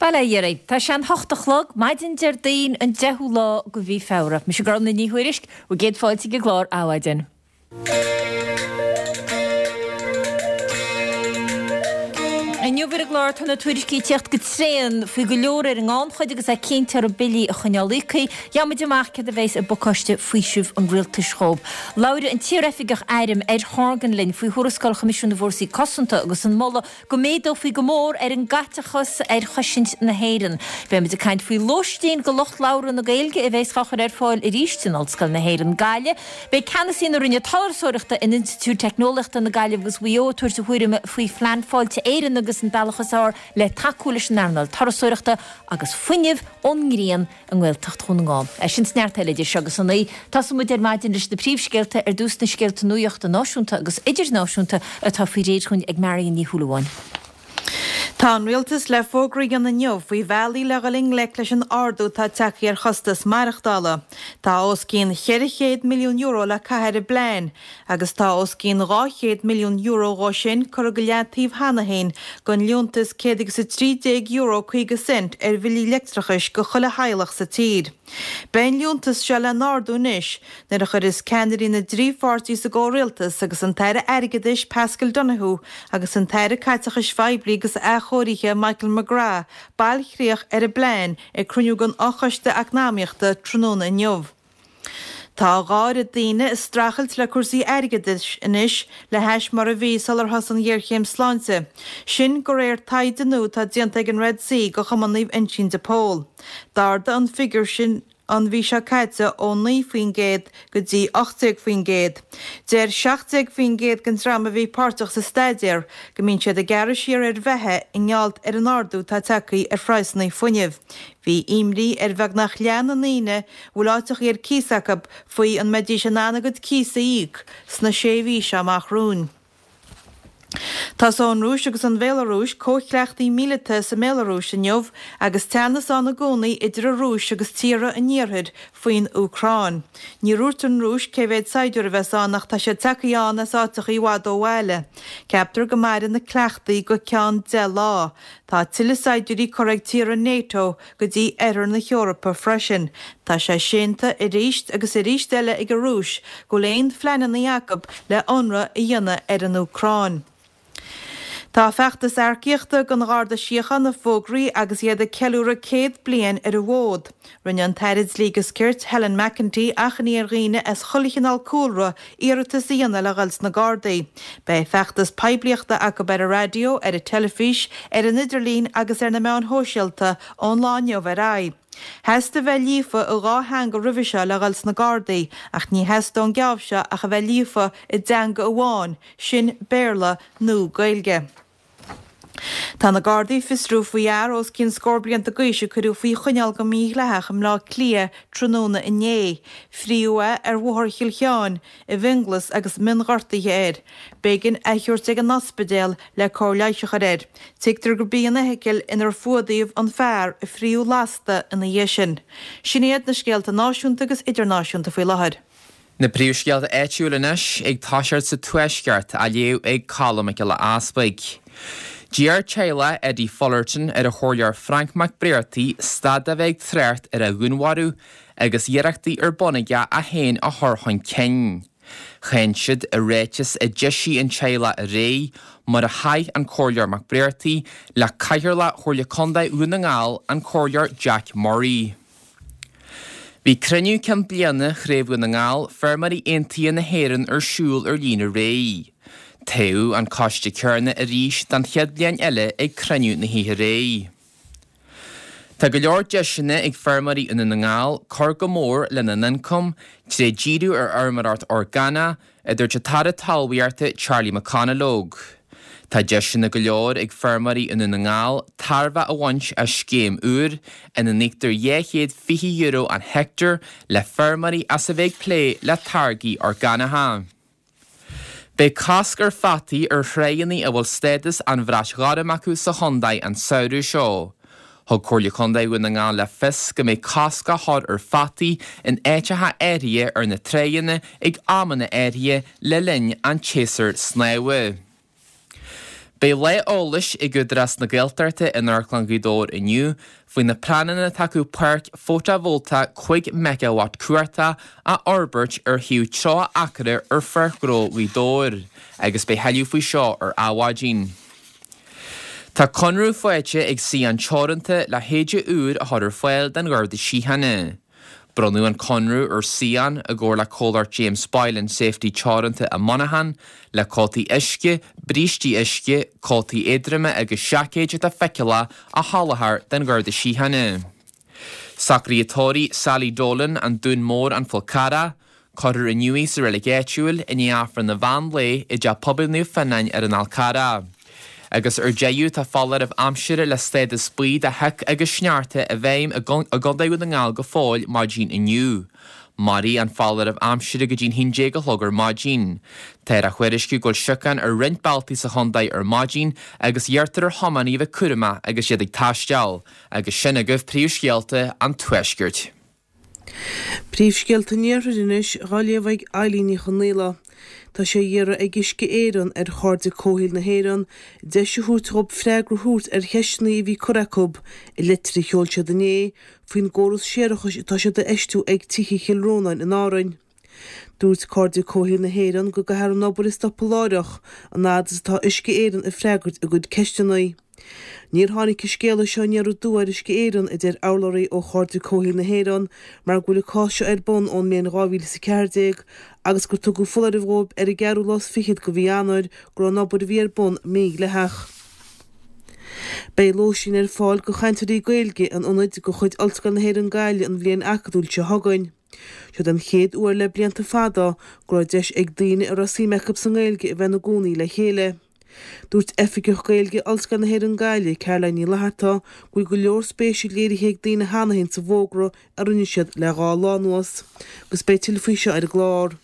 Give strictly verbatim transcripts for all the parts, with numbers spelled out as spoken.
Bail ó Dhia oraibh. Tá sé an hocht a chlog, maidin Déardaoin an deichiú lá de mhí Feabhra. Mise Gormfhlaith Ní Thuairisg, bhur gcéad fáilte ag an gclár Adhmhaidin. Inniu ar an gclár tá na tuairiscí ag tíocht go tréan faoi go leor ar an ngannchuid agus é cinnte orthu billí a choinneáil íoctha. Gheobhaimid amach céard a bheas i bpacáiste faoisimh an rialtais dhóibh. Labhróidh an t-iaroifigeach airm Ed Horgan linn faoi thuarascáil Choimisiún na bhFórsaí Cosanta agus an moladh go méadófaí go mór ar an gcaiteachas ar chosaint na hÉireann. Beimid ag caint faoi lóistín do lucht labhartha na Gaeilge a bheas á chur ar fáil arís in Ollscoil na hÉireann, Gaillimh. Beidh ceannasaí na Roinne Turasóireachta in Institiúid Teicneolaíochta na Gaillimhe agus Mhaigh Eo ag tabhairt a thuairime faoi Phlean Fáilte Éireann agus an bealach is fearr le tacú leis an earnáil turasóireachta agus fuinneamh ón ngrian i nGaeltacht Dhún na nGall. É sin is neart eile idir seo agus a naoi. Tosóidh muid ar maidin leis na príomhscéalta, ar dtús na scéalta nuachta náisiúnta agus idirnáisiúnta atá faoi réir chugainn ag Marion Ní Shúilleabháin. Tá an Rialtas le fógra a dhéanamh inniu faoi bhealaí le dhul i ngleic leis an ardú atá tagtha ar chostas maireachtála. Tá os cionn cheithre chéad milliún euro le caitheamh ar an bplean agus tá os cionn dhá chéad milliún euro dhó sin curtha go leataobh cheana féin don liúntas céad agus a trí déag euro caoga cent ar bhillí leictreachais go chuile theaghlach sa tír. Beidh an liúntas seo le n-ardú anois nuair a chuirfeas ceannairí na dtrí pháirtí sa gcomhrialtas agus an tAire Airgeadais Paschal Donohoe agus an tAire Caiteachais Phoiblí agus Athchóirithe Michael McGrath bailchríoch ar an bplean ag cruinniú den Fhochoiste Eacnamaíochta tráthnóna inniu. Tá a dhá oiread daoine ag streachailt le cúrsaí airgeadais anois le hais mar a bhí sular thosaigh an ghéarchéim sláinte. Sin de réir taighde nua atá déanta ag an Red C do Chumann Naomh Uinseann de Pól. D'ardaigh an figiúr sin an mhí seo caite ó naoi faoin gcéad go dtí ocht déag faoin gcéad. Deir seacht déag faoin gcéad den dream a bhí páirteach sa staidéar go mbíonn siad ag gearradh siar ar bheatha i ngeall ar an ardú atá tagtha ar phraghsanna fuinnimh. Bhí imní ar bheagnach leath na ndaoine a bhfuil áiteachaí ar cíos acu faoi an mbeidís in ann a gcuid cíos a íoc sna sé mhí seo amach romhainn. Tosóidh an Rúis agus an Bhéalarúis comhchleachtaí míleata sa mBéalarúis inniu agus teannas ann i gcónaí idir an Rúis agus tíortha an Iarthair faoin Úcráin. Níor dhúirt an Rúis cé mhéad saighdiúir a bheas ann ach tá siad tagtha ann as áiteacha i bhfad ó bhaile. Ceaptar go mairfidh na cleachtaí go ceann deich lá. Tá tuilleadh saighdiúirí curtha ag tíortha NATO go dtí oirthear na hEorpa freisin. Tá sé séanta arís agus arís eile ag an Rúis go bhfuil aon phleananna acu le ionradh a dhéanamh ar an Úcráin. Tá feachtas earcaíochta don Gharda Síochána fógraithe agus iad ag ceiliúradh céad bliain ar an bhfód. Rinne an tAire Dlí agus Cirt, Helen McEntee, achainí ar dhaoine as chuile chineál cúlra iarratas a dhéanamh le dhul sna Gardaí. Beidh feachtas poiblíochta acu ar an raidió, ar an teilifís, ar an idirlíon agus ar na meáin shóisialta ón lá inniu ar aghaidh. Theastaigh a bheith líofa i dhá theanga roimhe seo le dhul sna Gardaí ach ní theastóidh an geábh seo ach a bheith líofa i dteanga amháin, sin Béarla nó Gaeilge. Tá na Gardaí ag fiosrú faoi fhear os cionn scór blianta d'aois a cuireadh faoi choinneáil go mídhleathach i mBleá Cliath tráthnóna inné. Fríodh é ar Bhóthar Chill Sheáin i bhFionnghlas agus mionghortuithe air. B'éigean é a thabhairt ag an ospidéal le cóir leighis a chur air. Tuigtear gurb í an fheithicil inar fuadaíodh an fear a fríodh lasta ina dhiaidh sin. Sin iad na scéalta náisiúnta agus idirnáisiúnta faoi láthair. Na príomhscéalta áitiúil anois ag toiseacht sa Tuaisceart, á léamh ag Colm Mac Giolla Easpaig. D'iarr teaghlach Eddie Fullerton ar an Chomhairleoir Frank McBrearty stad de bheith ag trácht ar a dhúnmharú agus iarrachtaí ar bun aige é féin a chur chun cinn. Cháin siad i ráiteas a d'eisigh an teaghlach aréir mar a chaith an Comhairleoir McBrearty le Cathaoirleach Chomhairle Contae Dhún na nGall, an Comhairleoir Jack Murray. Bhí cruinniú cinn bliana Chraobh Dhún na nGall, Feirmeoirí Aontaithe na hÉireann ar siúl ar líne aréir. Toghadh an coiste céanna arís don chéad bhliain eile ag cruinniú na hoíche aréir. Tá go leor deiseanna ag feirmeoirí i nDún na nGall cur go mór lena n-ioncam tré díriú ar fheirmeoireacht orgánach, a dúirt an tAire Talmhaíochta Charlie McConalogue. Tá deiseanna go leor ag feirmeoirí i nDún na nGall tairbhe a bhaint as scéim úr ina n-íoctar dhá chéad fiche euro an heicteár le feirmeoirí as a bheith ag plé le táirgí orgánacha. Beidh cosc ar pheataí ar thráigheanna a bhfuil stádas an bhrait ghoirm acu sa chontae an samhradh seo. Thug Comhairle Contae Dhún na nGall le fios go mbeidh cosc á chur ar pheataí in áiteacha áirithe ar na tráigheanna ag amanna áirithe le linn an tséasúir snámha. Beidh lá eolais ag Údarás na Gaeltachta in Amharclann Ghaoth Dobhair inniu faoi na pleananna atá acu páirc fótavoltach cúig meigeawatt cumhachta a fhorbairt ar thaobh tríocha acra ar Pháirc Ghnó Ghaoth Dobhair agus beidh tuilleadh faoi seo ar Adhmhaidin. Tá conradh faighte ag CIAN Teoranta le héide úr a chur ar fáil don Gharda Síochána. Bronnadh an conradh ar CIAN i gcomhar le comhlacht James Boylan Safety Teoranta i Monaghan, le cótaí uisce, brístí uisce, cótaí éadroma agus seaicéid atá feiceálach a sholáthar don Gharda Síochána. Socruithe tórraimh Sally Dolan an Dún Mór an Fál Carrach, Cuirfear inniu í sa reilig áitiúil i ndiaidh Aifreann an mheán lae i dTeach Pobail Naomh Fionnán ar an Fhál Carrach. Agus ar deireadh tá foláireamh aimsire le stádas buí de shioc agus sneachta i bhfeidhm i gContae Dhún na nGall go fóill maidin inniu. Mairfidh an foláireamh aimsire go dtí'n haon déag a chlog ar maidin. Táthar á thuairisciú go bhfuil siocán ar roinnt bealtaí sa chontae ar maidin agus iarrtar ar thiománaithe a bheith cúramach agus iad ag taisteal. Agus sin agaibh príomhscéalta an Tuaiscirt. Príomhscéalta an Iarthair anois á léamh ag Eilín Ní Chonaola. Tá sé á iarraidh ag Uisce Éireann ar Chairde Comhshaoil na hÉireann deis a thabhairt dhóibh freagra a thabhairt ar cheisteanna a bhí curtha acu i litir a sheol siad inné faoin gcóras séarachais atá siad a fheistiú ag tithe Chill Rónáin in Árainn. Dúirt Cairde Comhshaoil na hÉireann go gcaithfear an obair a stopadh láithreach an fhad is atá Uisce Éireann ag freagairt a gcuid ceisteanna. Níor tháinig an scéala seo aniar aduaidh ar Uisce Éireann, a deir urlabhraí ó Chairde Comhshaoil na hÉireann, mar go bhfuil an cás seo ar bun ón mbliain dhá mhíle is a ceathair déag agus gur tugadh foláireamh dhóibh ar an gceathrú lá is fichead de mhí Eanáir go raibh an obair a bhí ar bun mídhleathach. Beidh lóistín ar fáil do chainteoirí Gaeilge in ionaid de chuid Ollscoil na hÉireann Gaillimh an bhliain acadúil seo chugainn. Seod an chéad uair le blianta fada go raibh deis ag daoine a raibh suim acu sa nGaeilge a bheith ina gcónaí le chéile. Dúirt Oifigeach Gaeilge Ollscoil na hÉireann Gaillimh, Caroline Ní Fhlatharta, go bhfuil go leor spéise léirithe ag daoine cheana féin sa bhfógra a rinne siad le dhá lá anuas, agus beidh tuilleadh faoi seo ar an gclár.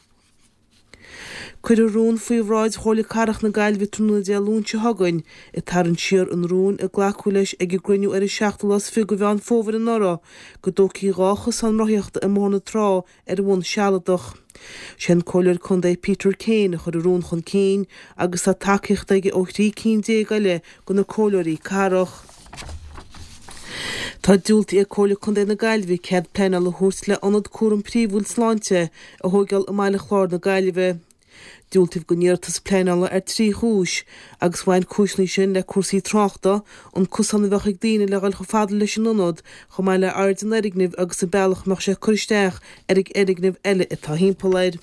Cuirfear rún faoi bhráid Chomhairle Cathrach na Gaillimhe tráthnóna Dé Luain seo chugainn, ag tarraingt siar an rúin a glacadh leis ag an gcruinniú ar an seachtú lá is fiche de Mheán Fómhair anuraidh go dtógfaí dhá chosán rothaíochta i mBóthar na Trá ar bhonn sealadach. Sé an Comhairleoir Contae Peter Kane a chuir an rún chun cinn agus tá tacaíocht aige ó thrí cinn déag eile de na comhairleoirí cathrach. Tá diúltaithe ag Comhairle Contae na Gaillimhe cead pleanála a thabhairt le ionad cúram príomhúil sláinte a thóigeáil i mBaile Chláir na Gaillimhe. Diúltaíodh don iarratas pleanála ar trí chúis, agus bhain cúiseanna sin le cúrsaí tráchta, an cosán a bheadh ag daoine le dhul chomh fada leis an ionad, chomh maith le airde an fhoirgnimh agus an bealach a mbeadh sé ag cur isteach ar an fhoirgneamh eile atá thimpeall air.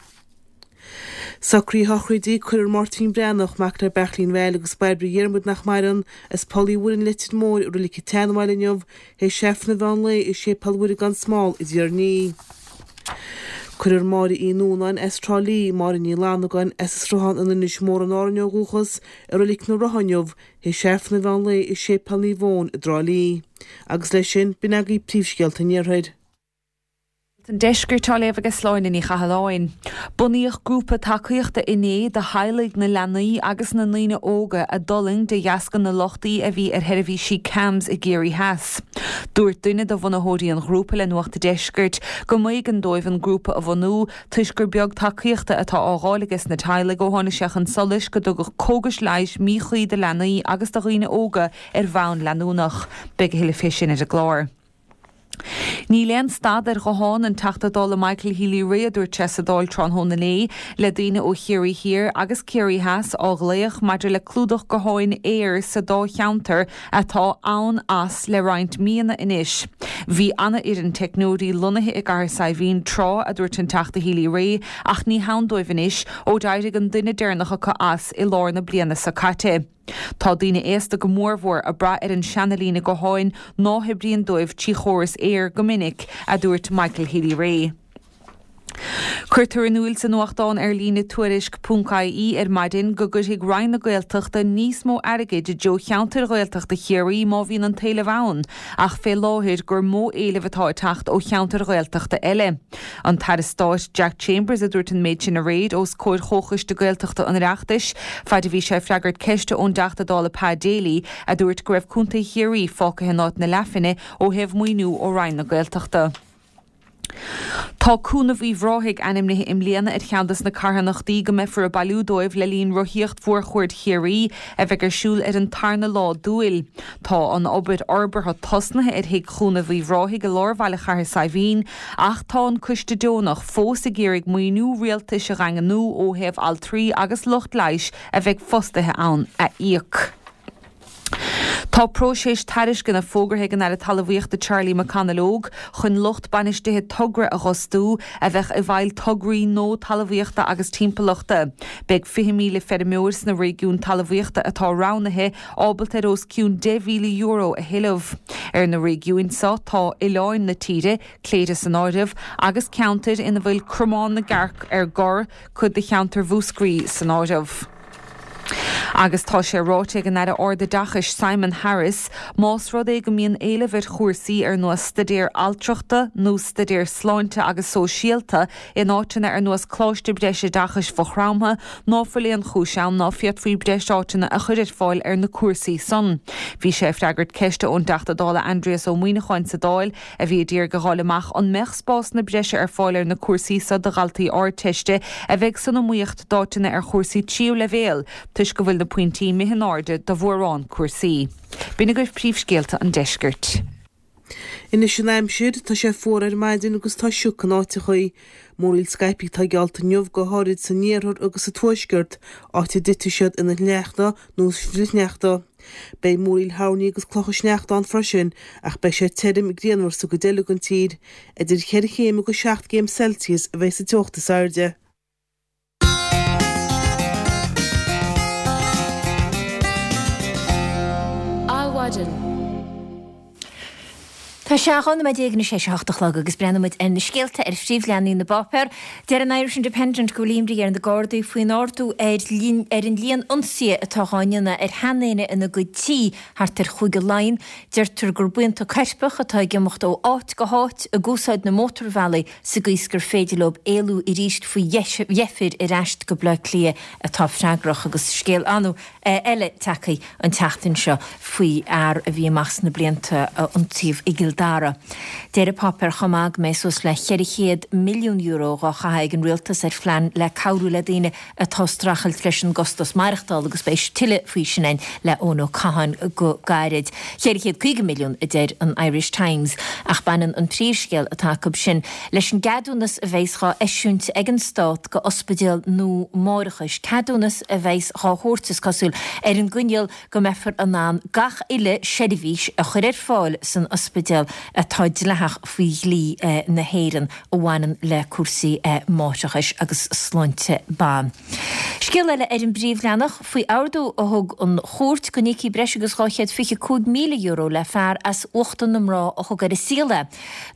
Socruithe sochraide Cuirfear Máirtín Breathnach, mac le Beairtlín Bhail agus Bairbre Dhiarmuid nach maireann, as Poll Uí Mhuirí an Leitir Móir i Reilig an tSeanbhaile inniu, théis Aifreann an mheán lae i Séipéal Mhuire gan Smál i dTír an Fhia. Cuirfear Máire Uí Núnáin as Trá Lí, Máire Ní Fhlannagáin as an Sruthán in Inis Mór in Árainn ó dhúchas, i Reilig na Rotha inniu, théis Aifreann an mheán lae i Séipéal Naomh Eoin i dTrá Lí. Agus leis sin, b'in agaibh príomhscéalta an Iarthair. An Deiscirt á léamh ag Sláine Ní Chathalláin. Bunaíodh grúpa tacaíochta inné do theaghlaigh na leanaí agus na ndaoine óga a d'fhulaing de dheasca na lochtaí a bhí ar sheirbhísí CAMHS i gCiarraí Theas. Dúirt duine de bhunaitheoirí an ghrúpa le Nuacht an Deiscirt go mb'éigean dóibh an grúpa a bhunú toisc gur beag tacaíochta atá á fháil aige sna teaghlaigh ó tháinig sé chun solais go dtugadh cógais leighis míchuí do leanaí agus do dhaoine óga ar bhonn leanúnach. Beidh a thuilleadh fé sin ar an gclár. Níl aon stad ar ghuthán an Teachta Dála Michael Healy-Rae, a dúirt sé sa Dáil tráthnóna inné, le daoine ó Chiarraí Thiar agus Ciarraí Theas á ghlaoch maidir le clúdach gutháin Eir sa dá cheantar atá ann as le roinnt míonna anois. Bhí an-fhoireann teicneoirí lonnaithe i gCathair Saidhbhín tráth, a dúirt an Teachta Healy-Rae, ach ní hann dóibh anois ó d'éirigh an duine deireanach acu as i lár na bliana seo caite. Tá daoine aosta go mórmhór ag brath ar an seana-líne gutháin ná hoibríonn dóibh trí chóras Eir go minic, a dúirt Michael Healy-Rae. Cuirtear in iúl sa nuachtán ar líne Tuairisc ponc ie ar maidin go gcuirfidh Roinn na Gaeltachta níos mó airgid i dtreo cheantair Ghaeltachta Chiarraí má bhíonn an t-éileamh ann, ach fé láthair gur mó éileamh atá ag teacht ó cheantair Ghaeltachta eile. An tAire Stáit Jack Chambers a dúirt an méid sin aréir os comhair Chomhchoiste Gaeltachta an Oireachtais, faid a bhí sé ag freagairt ceiste ón dTeachta Dála Pa Daly a dúirt go raibh Contae Chiarraí fágtha in áit na leathphinne ó thaobh maoiniú ó Roinn na Gaeltachta. Tá Cúnamh Uíbh Ráthaigh ainmnithe i mbliana ar cheann des na carthanachtaí go mbeifear ag bailiú dóibh le linn Rothaíocht Mhórchuaird Chiarraí a bheidh ar siúl ar an tarna lá d'Iúil. Tá an obair fhorbartha tosnaithe ar Thigh Chúnamh Uíbh Ráthaigh i lár bhaile Chathair Saidhbhín ach tá an coiste deonach fós ag iarraidh maoiniú rialtais a dhaingniú ó thaobh altraí agus lucht leighis a bheidh fostaithe ann a íoc. Tá próiseas tairisceana fógartha ag an Aire Talmhaíochta Charlie McConalogue chun lucht bainistithe togra a dh'fhostú a bheadh i bhfeighil tograí nua talmhaíochta agus timpeallachta. Beidh fiche míle feirmeoir sna réigiúin talmhaíochta atá roghnaithe ábalta ar os cionn deich mhíle euro a thuilleamh. Ar na réigiúin seo tá oileáin na tíre, Cléire san áireamh, agus ceantair ina bhfuil cromán na gcearc ar gor, cuid de cheantar Mhúscraí san áireamh. Agus tá sé ráite ag an Aire Ardoideachais Simon Harris más rud é go mbíonn éileamh ar chúrsaí ar nós staidéar altrachta nó staidéar sláinte agus sóisialta in áiteanna ar nós Coláiste Breisoideachais Mhaigh Chromtha ná fuil aon chúis ann ná féadfaí breis áiteanna a chur ar fáil ar na cúrsaí san. Bhí sé ag freagairt ceiste ón dTeachta Dála Aindrias Ó Muimhneacháin sa Dáil a bhí ag iarraidh a dh'fháil amach an mbeadh spásanna breise ar fáil ar na cúrsaí so do dhaltaí Ardteiste a bheidh san iomaíocht d'áiteanna ar chúrsaí tríú leibhéal toisc go bhfuil na pointí imithe in airde do mhórán cúrsaí. B'in agaibh príomhscéalta an deiscirt. Anois an aimsir, tá sé fuar ar maidin agus tá sioc in áiteachaí. Múraíl scaipthe atá geallta inniu, go háirid san iarthar agus sa tuaisceart, áit a dtitfidh siad ina shneachta nó flichshneachta. Beidh múraíl thoirní agus clocha sneachta ann freisin, ach beidh sé tirim grianmhar sa gcuid eile den tír. Idir cheithre chéim agus seacht gcéim Celsius a bheidh sa teocht is airde. Adhmhaidin. Tá sé dhá nóiméad déag anois théis a hocht a chlog agus breathnóidh muid ar na scéalta ar phríomhleathanaigh na bpáipéar. Deir an Irish Independent go bhfuil imní ar na Gardaí faoin ardú ar ar an líon ionsaithe atá dhá ndéanamh ar sheandaoine ina gcuid tí thart ar Chúige Laighean. Deirtear gur buíonta coirpeach atá ag imeacht ó áit go háit ag úsáid na mótarbhealaí sa gcaoi is gur féidir leo éalú arís faoi dheifir ar ais go Baile Átha Cliath atá freagrach agus scéal annamh eile tagtha an tseachtain seo faoi fhear a bhí amach sna blianta a ionsaíodh i gCill Dara. Deir an páipéar chomh maith go mbeidh suas le ceithre chéad milliún euro dhá chaitheamh ag an rialtas ar phlean le cabhrú le daoine atá ag streachailt leis an gcostas maireachtála agus beidh tuilleadh faoi sin againn le Eoin Ó Catháin go gairid. Ceithre chéad caoga milliún a deir an Irish Times ach baineann an príomhscéal atá acu sin leis an gceadúnas a bheas dhá eisiúint ag an Stát go ospidéal nua máithreachais, ceadúnas a bheas dhá thabhairt, is cosúil, ar an gcoinníoll go mbeifear in ann gach uile seirbhís a chur ar fáil san ospidéal atá dleathach faoi dhlí na hÉireann a bhaineann le cúrsaí máithreachais agus sláinte ban. Scéal eile ar an bpríomhleathanach faoi ordú a thug an chúirt go n-íocfaí breis agus dhá chéad fiche cúig míle euro le fear as uachtar na mná a thug ar a saol é.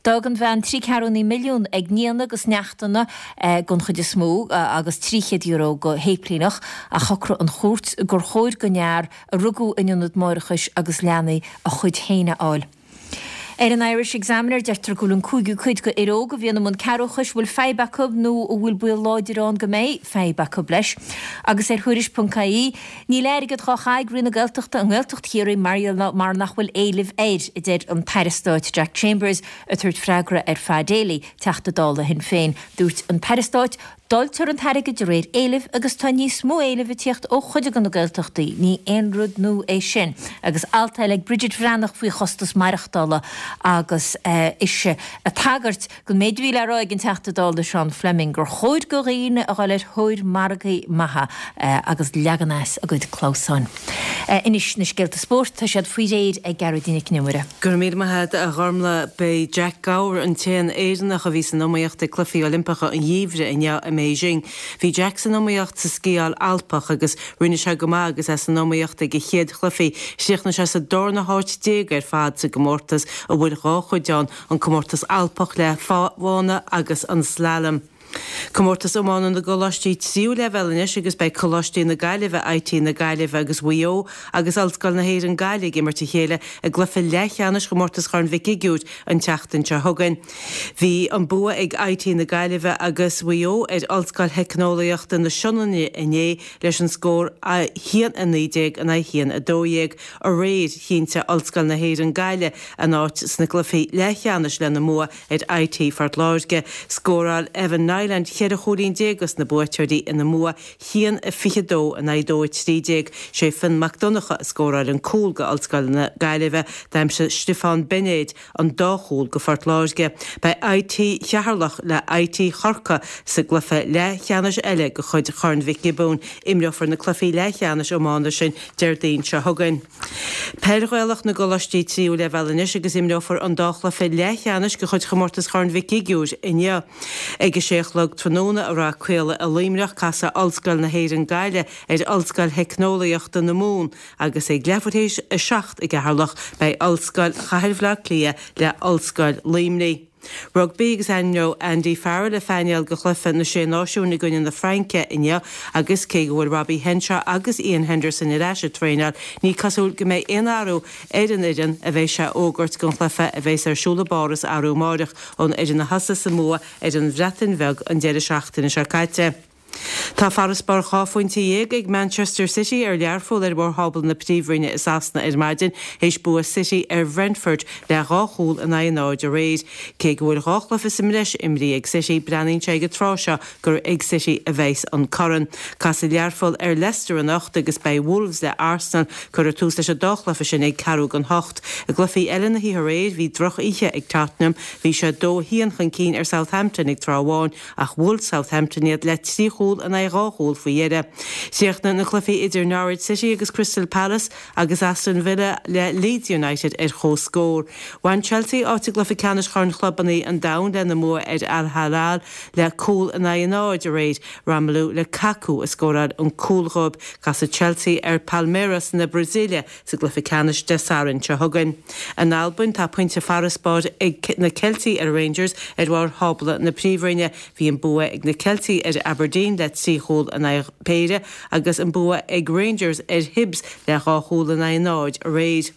D'fhág an bhean trí ceathrúna milliún ag nianna agus neachtanna den chuid is mó agus trí chéad euro go shéiplíneach ach shocraigh an chúirt gur chóir don fhear a rugadh in ionad máithreachais agus leanaí a chuid féin a fháil. Ar an Irish Examiner deirtear go bhfuil an cúigiú cuid de fhir óga a bhíonn i mbun cearrbhachais a bhfuil fadhb acu nó a bhfuil baol láidir ann go mbeidh fadhb acu leis. Agus ar Thuairisc ponc ie, níl airgead dhá chaitheamh ag Roinn na Gaeltachta i nGaeltacht Chiarraí mar mar nach bhfuil éileamh air, a deir an tAire Stáit Jack Chambers ag tabhairt freagra ar Pa Daly, Teachta Dála Shinn Féin. Dúirt an tAire Stáit Dáiltear an t-airgead de réir éilimh agus tá níos mó éilimh ag tíocht ó chuid de na Gaeltachtaí, ní aon rud nua é sin. Agus alt eile ag Bridget Bhreathnach faoi chostas maireachtála agus ise ag tagairt don méid a bhí le rá ag an Teachta Dála Seán Fleming gur chóir do dhaoine a dhul ar thóir margaí maithe agus leagan as a gcuid clamhsáin. Anois na scéalta spóirt, tá siad faoi réir ag Gearóidín Nic Con Iomaire. Go raibh míle maith agat a Ghormlaith. B'é Jack Gower an t-aon Éireannach a bhí san iomaíocht ag Cluichí Oilimpeacha an Gheimhridh inniu i mBeijing. Bhí Jack san iomaíocht sa sciáil Alpach agus rinne sé go maith agus é san iomaíocht ag a chéad chluichí. Chríochnaigh sé sa darna háit déag ar fad sa gcomórtas a bhfuil dhá chuid ann, an comórtas Alpach le pábhána agus an slalom. Comórtas Iomána na gColáistí Tríú Leibhéal anois agus beidh Coláistí na Gaillimhe, IT na Gaillimhe agus Mhaigh Eo agus Ollscoil na hÉireann Gaillimh ag imirt a chéile i gcluiche leathcheannais Chomórtas Chorn Mhic Shigiúir an tseachtain seo chugainn. Bhí an bua ag IT na Gaillimhe agus Mhaigh Eo ar Ollscoil Theicneolaíochta na Sionainne inné leis an scór a haon a naoi déag in aghaidh a haon a dó dhéag. Aréir, chinntigh Ollscoil na hÉireann Gaillimh a n-áit sna cluichí leathcheannais lena mbua ar IT Phort Láirge. Scóráil Evan Niland cheithre chúilín déag dos na buaiteoirí ina mbua haon a fiche dó in aghaidh dó a trí déag. Sé Finn Mac Donncha a scóráil an cúl go Ollscoil na Gaillimhe. D'aimsigh Stiofán Beinéid an dá chúl go Phort Láirge. Beidh IT Cheatharlach le IT Chorcaí sa gcluiche leathcheannais eile de chuid Chorn Mhic Giobúin. Imreofar na cluichí leathcheannais iomána sin Déardaoin seo chugainn. Peil Ghaelach na gColáistí Tríú Leibhéal anois agus imreofar an dá chluiche leathcheannais de chuid Chomórtas Chorn Mhic Shigiúir inniu. Ag a sé a chlog tráthnóna i Rath Caola i Luimneach, casfaidh Ollscoil na hÉireann Gaillimh ar Ollscoil Theicneolaíochta na Mumhan agus ag leathuair théis a seacht i gCeatharlach beidh Ollscoil Chathair Bhaile Átha Cliath le Ollscoil Luimnigh. Rugbaí agus ainmneoidh Andy Farrell a phainéal go chluiche na Sé Náisiún i gcoinne na Fraince inniu agus cé go bhfuil Robbie Henshaw agus Iain Henderson ar ais ag traenáil, ní cosúil go mbeidh aon athrú ar an fhoireann a bheidh sé a fhógairt don chluiche a bheas ar siúl i bPáras arú amáireach ón fhoireann a thosaigh sa mbua ar an Bhreatain Bheag an deireadh seachtaine seo caite. Tá farasbarr dhá phointe dhéag ag Manchester City ar Learpholl ar bharr thábla na Príomhroinne i Sasana ar maidin théis bua City ar Bhrentford le dhá chúl in aghaidh a náid aréir. Cé go bhfuil dhá chluiche sa mbreis imrithe ag City, breathnaíonn sé ag an tráth seo gur ag City a bheas an corn. Casfaidh Learpholl ar Leicester anocht agus beidh Wolves le Arsenal. Cuirfear tús leis an dá chluiche sin ag ceathrú don hocht. I gcluichí eile na hoíche aréir, bhí droch-oíche ag Tottenham. Bhí siad dó a haon chun cinn ar Southampton ag tráth amháin ach bhuail Southampton iad le trí chúl in aghaidh dhá chúl faoi dheireadh. Chríochnaigh na cluichí idir Norwich City agus Crystal Palace agus Aston Villa le Leeds United ar comhscór. Bhain Chelsea áit i gcluiche ceannais Chorn Chlubanna an Domhain lena mbua ar Al Hilal le cúl in aghaidh a náid aréir. Romelu Lukaku a scóráil an cúl dhóibh. Casfaidh Chelsea ar Palmeiras na Brasaíle sa gcluiche ceannais Dé Sathairn seo chugainn. In Albain, tá pointe farasbairr ag na Ceiltigh ar Rangers ar bharr thábla na Príomhroinne. Bhí an bua ag na Ceiltigh ar Aberdeen le trí chúl in aghaidh péire agus an bua ag Rangers ar Hibs le dhá chúl in aghaidh náid aréir.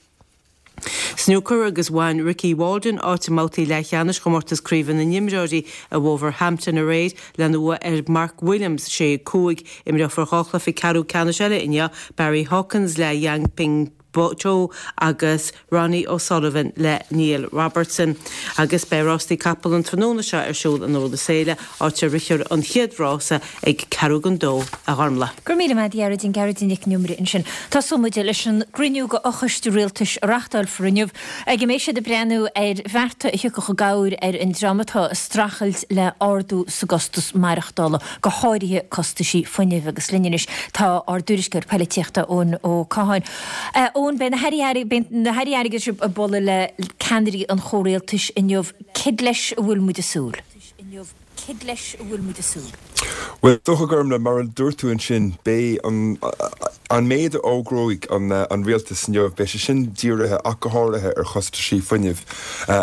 Snúcar agus bhain Ricky Walden áit i mbabhtaí leathcheannais chomórtas craoibhe na n-imreoirí i Wolverhampton aréir lena bhua ar Mark Williams, sé, cúig. Imreofar dhá chluiche ceathrú ceannais eile inniu, Barry Hawkins le Yan Ping Chou agus Ronnie O'Sullivan le Neil Robertson. Agus beidh rástaí capall an tráthnóna seo ar siúl in Iorras Féile, áit a rithfear an chéad rása ag ceathrú don dó, a Ghormlaith. Go raibh míle maith agat a Ghearóidín, Gearóidín Nic an Iomaire ansin. Tosóidh muid leis an gcruinniú de fhochoiste rialtais a reáchtálfar inniu, ag a mbeidh siad ag breathnú ar bhearta a thiocfadh i gcabhair ar an dream atá ag streachailt le ardú sa gcostas maireachtála, go háirithe costaisí fuinnimh. Agus linn anois tá ár dtuairisceoir poilitíochta Eoin Ó Catháin. Eoin, beidh na hairí beidh na hairí airgeadais ag bualadh le ceannairí an chomhrialtais inniu. Céard leis a bhfuil muid ag súil? Céard leis a bhfuil muid ag súil? Bhuel, is dócha, Gormlaith, mar a dúirt tú ansin, beidh an an méid a fhógróidh an an rialtas inniu, beidh sé sin dírithe ach go háirithe ar chostaisí fuinnimh.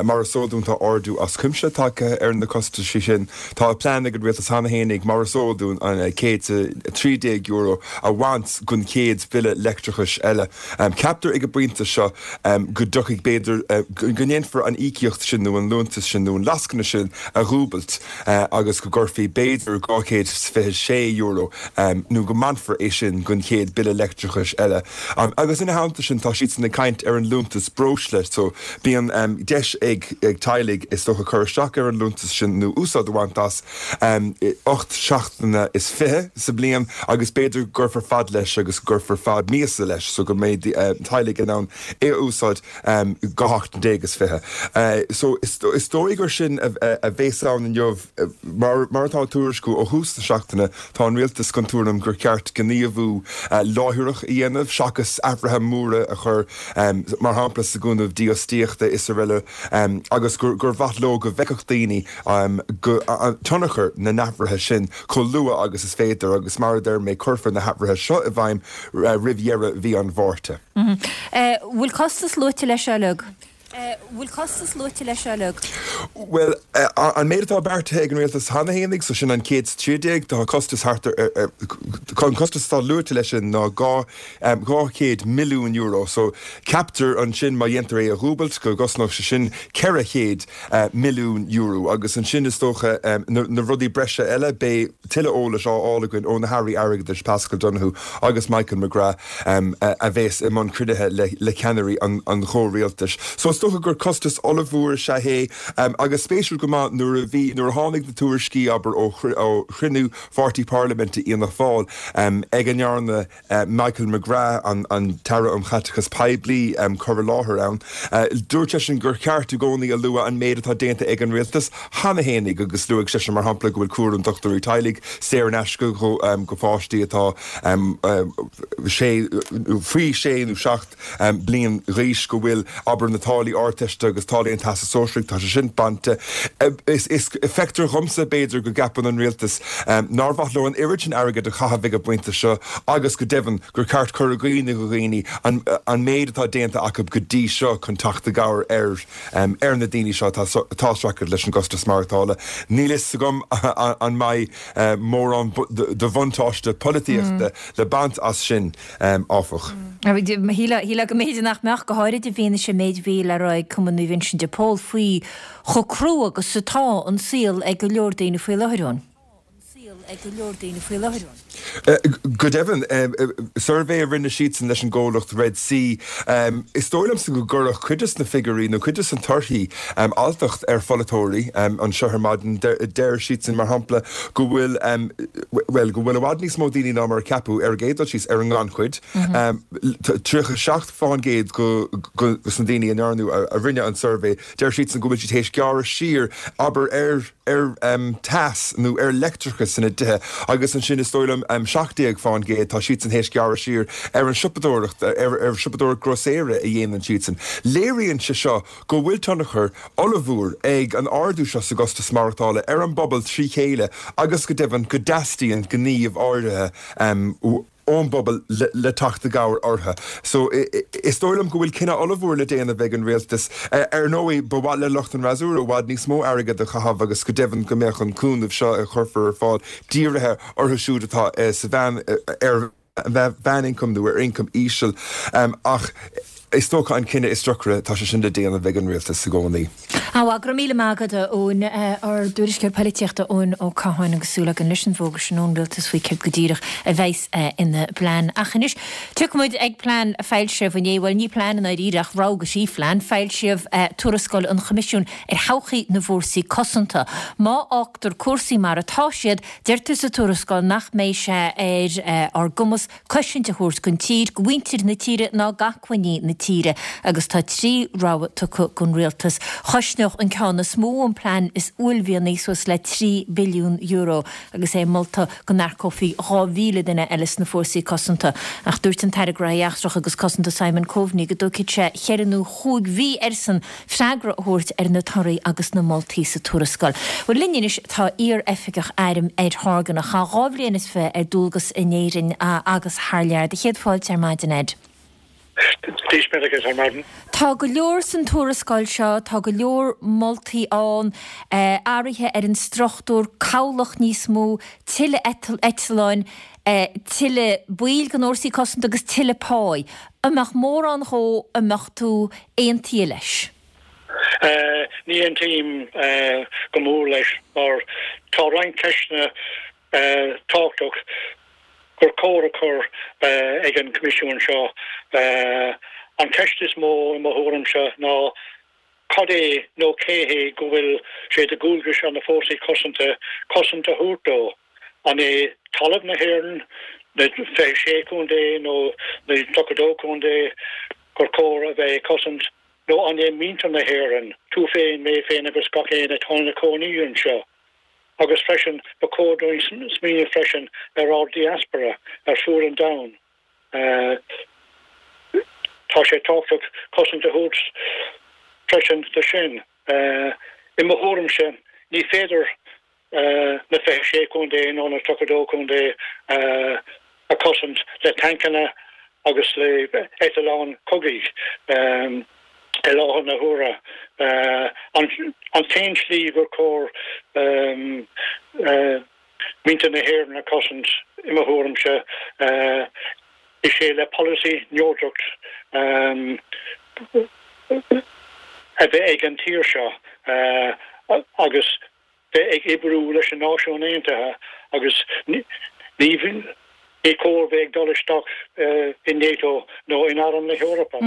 Mar is eol dúinn, tá ardú as cuimse tagtha ar na costaisí sin. Tá plean ag an rialtas cheana fhéinig, mar is eol dúinn, an céad a trí déag euro a bhaint den chéad bhille leictreachais eile. Ceaptar ag an bpointe seo go dtiocfaidh, b'fhéidir, go ndéanfar an íocaíocht sin nó an liúntas sin nó an lascaine sin a dhúbailt agus go gcuirfí b'fhéidir dhá chéad is fiche sé euro nó go mbainfear é sin den chéad bille leictreachais eile. Agus ina theannta sin tá siadsan ag caint ar an liúntas breosla so bíonn deis ag teaghlaigh is dócha cur isteach ar an liúntas sin nó úsáid a bhaint as ocht seachtaine is fiche sa bhliain agus b'fhéidir go gcuirfear fad leis agus go gcuirfear fad míosa leis so go mbeidh teaghlaigh in ann é a úsáid dhá sheachtain déag is fiche. So is dóigh gur sin a bheas ann inniu. Mar atá á tuairisciú ó thús na seachtaine, tá an rialtas den tuairim gur cheart gníomhú láithreach a dhéanamh seachas athruithe móra a chur, mar shampla sa gcúnamh dífhostaíochta is araile agus gur mhaith leo go bhfeicfeadh daoine tionchar na n-athruithe sin chomh luath agus is féidir agus mar a deir mé cuirfear na hathruithe seo i bhfeidhm roimh dheireadh mhí an Mhárta. Bhfuil costas luaite leis seo uilig? Bhfuil costas luaite leis seo uilig? Bhuel, an méid atá beartaithe ag an rialtas cheana fhéinig, so sin an céad is trí déag, tá costas thart ar, an costas atá luaite leis sin ná dhá dhá chéad milliún euro. So ceaptar ansin má dhéantar é a dhúbailt go gcosnódh sé sin ceithre chéad milliún euro. Agus ansin is dócha na rudaí breise eile, beidh tuilleadh eolais á fháil againn ó na hAirí Airgeadais Paschal Donohoe agus Michael McGrath a bheas i mbun cruinnithe le ceannairí an chomhrialtais. So is dócha gur costas ollmhór is ea é agus spéisiúil go maith nuair a bhí, nuair a tháinig na tuairiscí, abair, ó chruinniú Pháirtí Parlaiminte Fhianna Fáil ag a ndearna Michael McGrath, an tAire um Chaiteachas Poiblí, cur i láthair ann, dúirt seisean gur cheart i gcónaí a lua an méid atá déanta ag an rialtas cheana fhéinig agus luaigh seisean mar shampla go bhfuil cúram dochtúirí teaghlaigh saor in aisce go pháistí atá sé, faoi sé nó seacht bliain d'aois, go bhfuil, abair, na táillí Ardteiste agus táillí an Teastais Sóisearaigh, tá sé sin bainte. Is, is, feictear dhomsa, b'fhéidir, go gceapann an rialtas nár mhaith leo an oiread sin airgid a chaitheamh ag an bpointe seo agus go deimhin gur ceart cur i gcuimhne do dhaoine an, an méid atá déanta acu go dtí seo chun teacht i gcabhair ar, ar na daoine seo atá, atá ag streachailt leis an gcostas maireachtála. Níl fhios agam an mbeidh mórán de bhuntáiste polaitíochta le baint as sin, áfach. Shílfeá go mb'fhéidir nach mbeadh, go háirid i bhfianaise an méid a bhí le rá ag Cumann Naomh Uinseann de Pól faoi chomh crua agus atá an saol ag go leor daoine faoi láthair ann. Go deimhin, suirbhé a rinne siadsan leis an gcomhlacht Red C, is dóigh liomsa go gcuirfeadh cuid des na figiúirí nó cuid des na torthaí alltacht ar pholaiteoirí anseo ar maidin. Deir siadsan, mar shampla, go bhfuil, bhuel, go bhfuil i bhfad níos mó daoine ná mar a ceapadh ar an gcéad dul síos ar an ngannchuid, tríocha seacht fán gcéad de na daoine a ndearnadh, a rinne an suirbhé, deir siadsan go bhfuil siad théis gearradh siar, abair, ar ar teas nó ar leictreachas ina dtithe agus ansin is dóigh liom seacht déag fán gcéad tá siadsan théis gearradh siar ar an siopadóireacht, ar ar siopadóireacht grósaera a dhéanann siadsan. Léiríonn sé seo go bhfuil tionchar ollmhór ag an ardú seo sa gcostas maireachtála ar an bpobal trí chéile agus go deimhin go dteastaíonn gníomh áirithe ón bpobal le teacht i gcabhair orthu. So, is dóigh liom go bhfuil cinneadh ollmhór le déanamh ag an rialtas. Ar ndóigh, ba mhaith le lucht an fhreasúra i bhfad níos mó airgead a chaitheamh agus go deimhin go mbeadh an cúnamh seo a chuirfear ar fáil dírithe orthu siúd atá sa mheán, ar mheánioncam nó ar ioncam íseal. Ach is dócha an cinneadh is deacra, tá sé sin le déanamh ag an rialtas i gcónaí. Á, go raibh míle maith agat, a Eoin. Ár dtuairisceoir polaitíochta, Eoin Ó Catháin, agus súil againn leis an bhfógra sin ón rialtas faoi céard go díreach a bheas ina bplean. Ach anois, tiocfaidh muid ag plean a foilsíodh inné, bhuel, ní plean i ndáiríre ach rogha sí phlean, foilsíodh tuarascáil an Choimisiúin ar thodhchaí na bhFórsaí Cosanta. Má fhágtar cúrsaí mar atá siad, deirtear sa tuarascáil nach mbeidh sé ar ár gcumas cosaint a thabhairt don tír, do mhuintir na tíre ná d'acmhainní na tíre agus tá trí rogha tugtha don rialtas. Chosnódh an ceann is mó, an plean is uaillmhianaí, suas le trí billiún euro agus é molta go n-earcófaí dhá mhíle duine eile sna fórsaí cosanta. Ach dúirt an tAire Gnóthaí Eachtracha agus Cosanta Simon Coveney go dtógfaidh sé cheithre nó chúig mhí airsean freagra a thabhairt ar na torthaí agus na moltaí sa tuarascáil. Bhuel, linn anois tá iar-oifigeach airm Ed Horgan, a chaith dhá bhliain is fiche ar dualgas in Éirinn agus thar lear. Do chéad fáilte ar maidin, Ed. Dia duit ar maidin. Tá go leor san tuarascáil seo, tá go leor moltaí ann, athruithe ar an struchtúr, cabhlach níos mó, tuilleadh eitleáin, tuilleadh baill den Fhórsaí Cosanta agus tuilleadh páí. An mbeadh mórán dhó a mbeadh tú aontaithe leis? Ní aontaím go mór leis mar tá roinnt ceisteanna tábhachtach gur chóir a chur ag an Coimisiún seo. An cheist is mó i mo thuairimse ná cad é nó cé hé go bhfuil sé de dhualgas ar na Fórsaí Cosanta cosaint a thabhairt dó? An é talamh na hÉireann, na fiche sé contae nó na tríocha dó contae gur chóir a bheith ag cosaint nó an é muintir na hÉireann, tú féin, mé féin agus gach éinne atá ina cónaí anseo? Agus freisin, ba chóir dúinn smaoineamh freisin ar ár diaspora ar fuaid an domhain. Tá sé tábhachtach cosaint a thabhairt freisin do sin. I mo thuairimse, ní féidir na fiche sé contae nó na tríocha dó contae a chosaint le tancanna agus le eitleáin chogaidh. I láthair na huaire, an t-aon slí gur cóir muintir na hÉireann a chosaint, i mo thuairimse, is é le polasaí neodracht a bheith ag an tír seo agus bheith ag oibriú leis na Náisiúin Aontaithe agus ní ní cóir bheith ag dul isteach i NATO nó in Arm na hEorpa.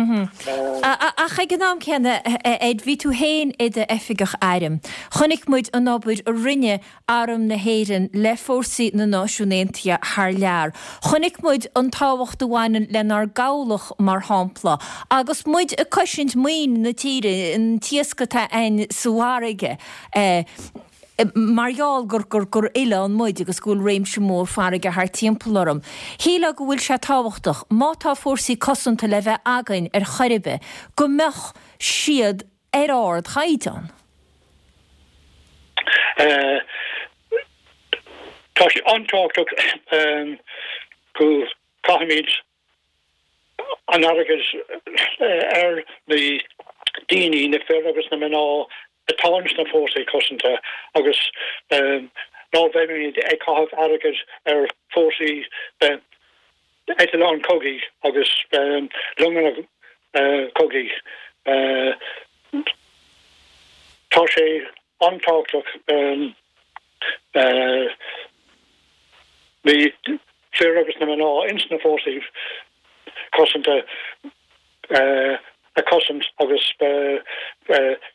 Ach ag an am céanna, Ed, bhí tú féin i d'oifigeach airm. Chonaic muid an obair a rinne Arm na hÉireann le fórsaí na Náisiún Aontaithe thar lear. Chonaic muid an tábhacht a bhaineann lenár gcabhlach, mar shampla, agus muid ag cosaint maoin na tíre, an t-iasc atá againn sa bhfarraige. Mar gheall gur gur gur oileán muid agus go bhfuil réimse mór farraige thart timpeall orainn. Shílfeá go bhfuil sé tábhachtach, má tá fórsaí cosanta le bheith againn ar chor ar bith, go mbeadh siad ar ardchaighdeán. Tá sé an-tábhachtach go gcaithfimid an airgead ar na daoine, na fir agus na mná atá sna fórsaí cosanta agus ná bheimid ag caitheamh airgead ar fórsaí eitleán cogaidh agus longanna cogaidh. Tá sé an-tábhachtach na fir agus na mná ins na fórsaí cosanta a chosaint agus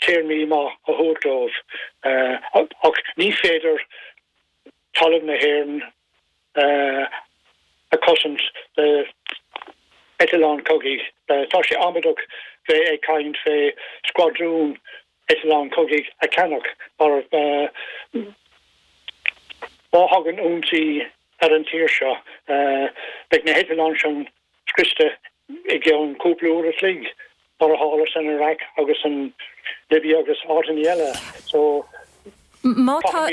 téarmaí maith a thabhairt dóibh. Ach ní féidir talamh na hÉireann a chosaint le eitleán cogaidh. Tá sé amaideach bheith ag caint fé scuadrún eitleán cogaidh a cheannach mar má thagann ionsaí ar an tír seo beidh na heitleáin sin scriosta i gceann cúpla uair a chloig, mar a tharla san Iraq agus san Libia agus áiteanna eile. So, Má tá,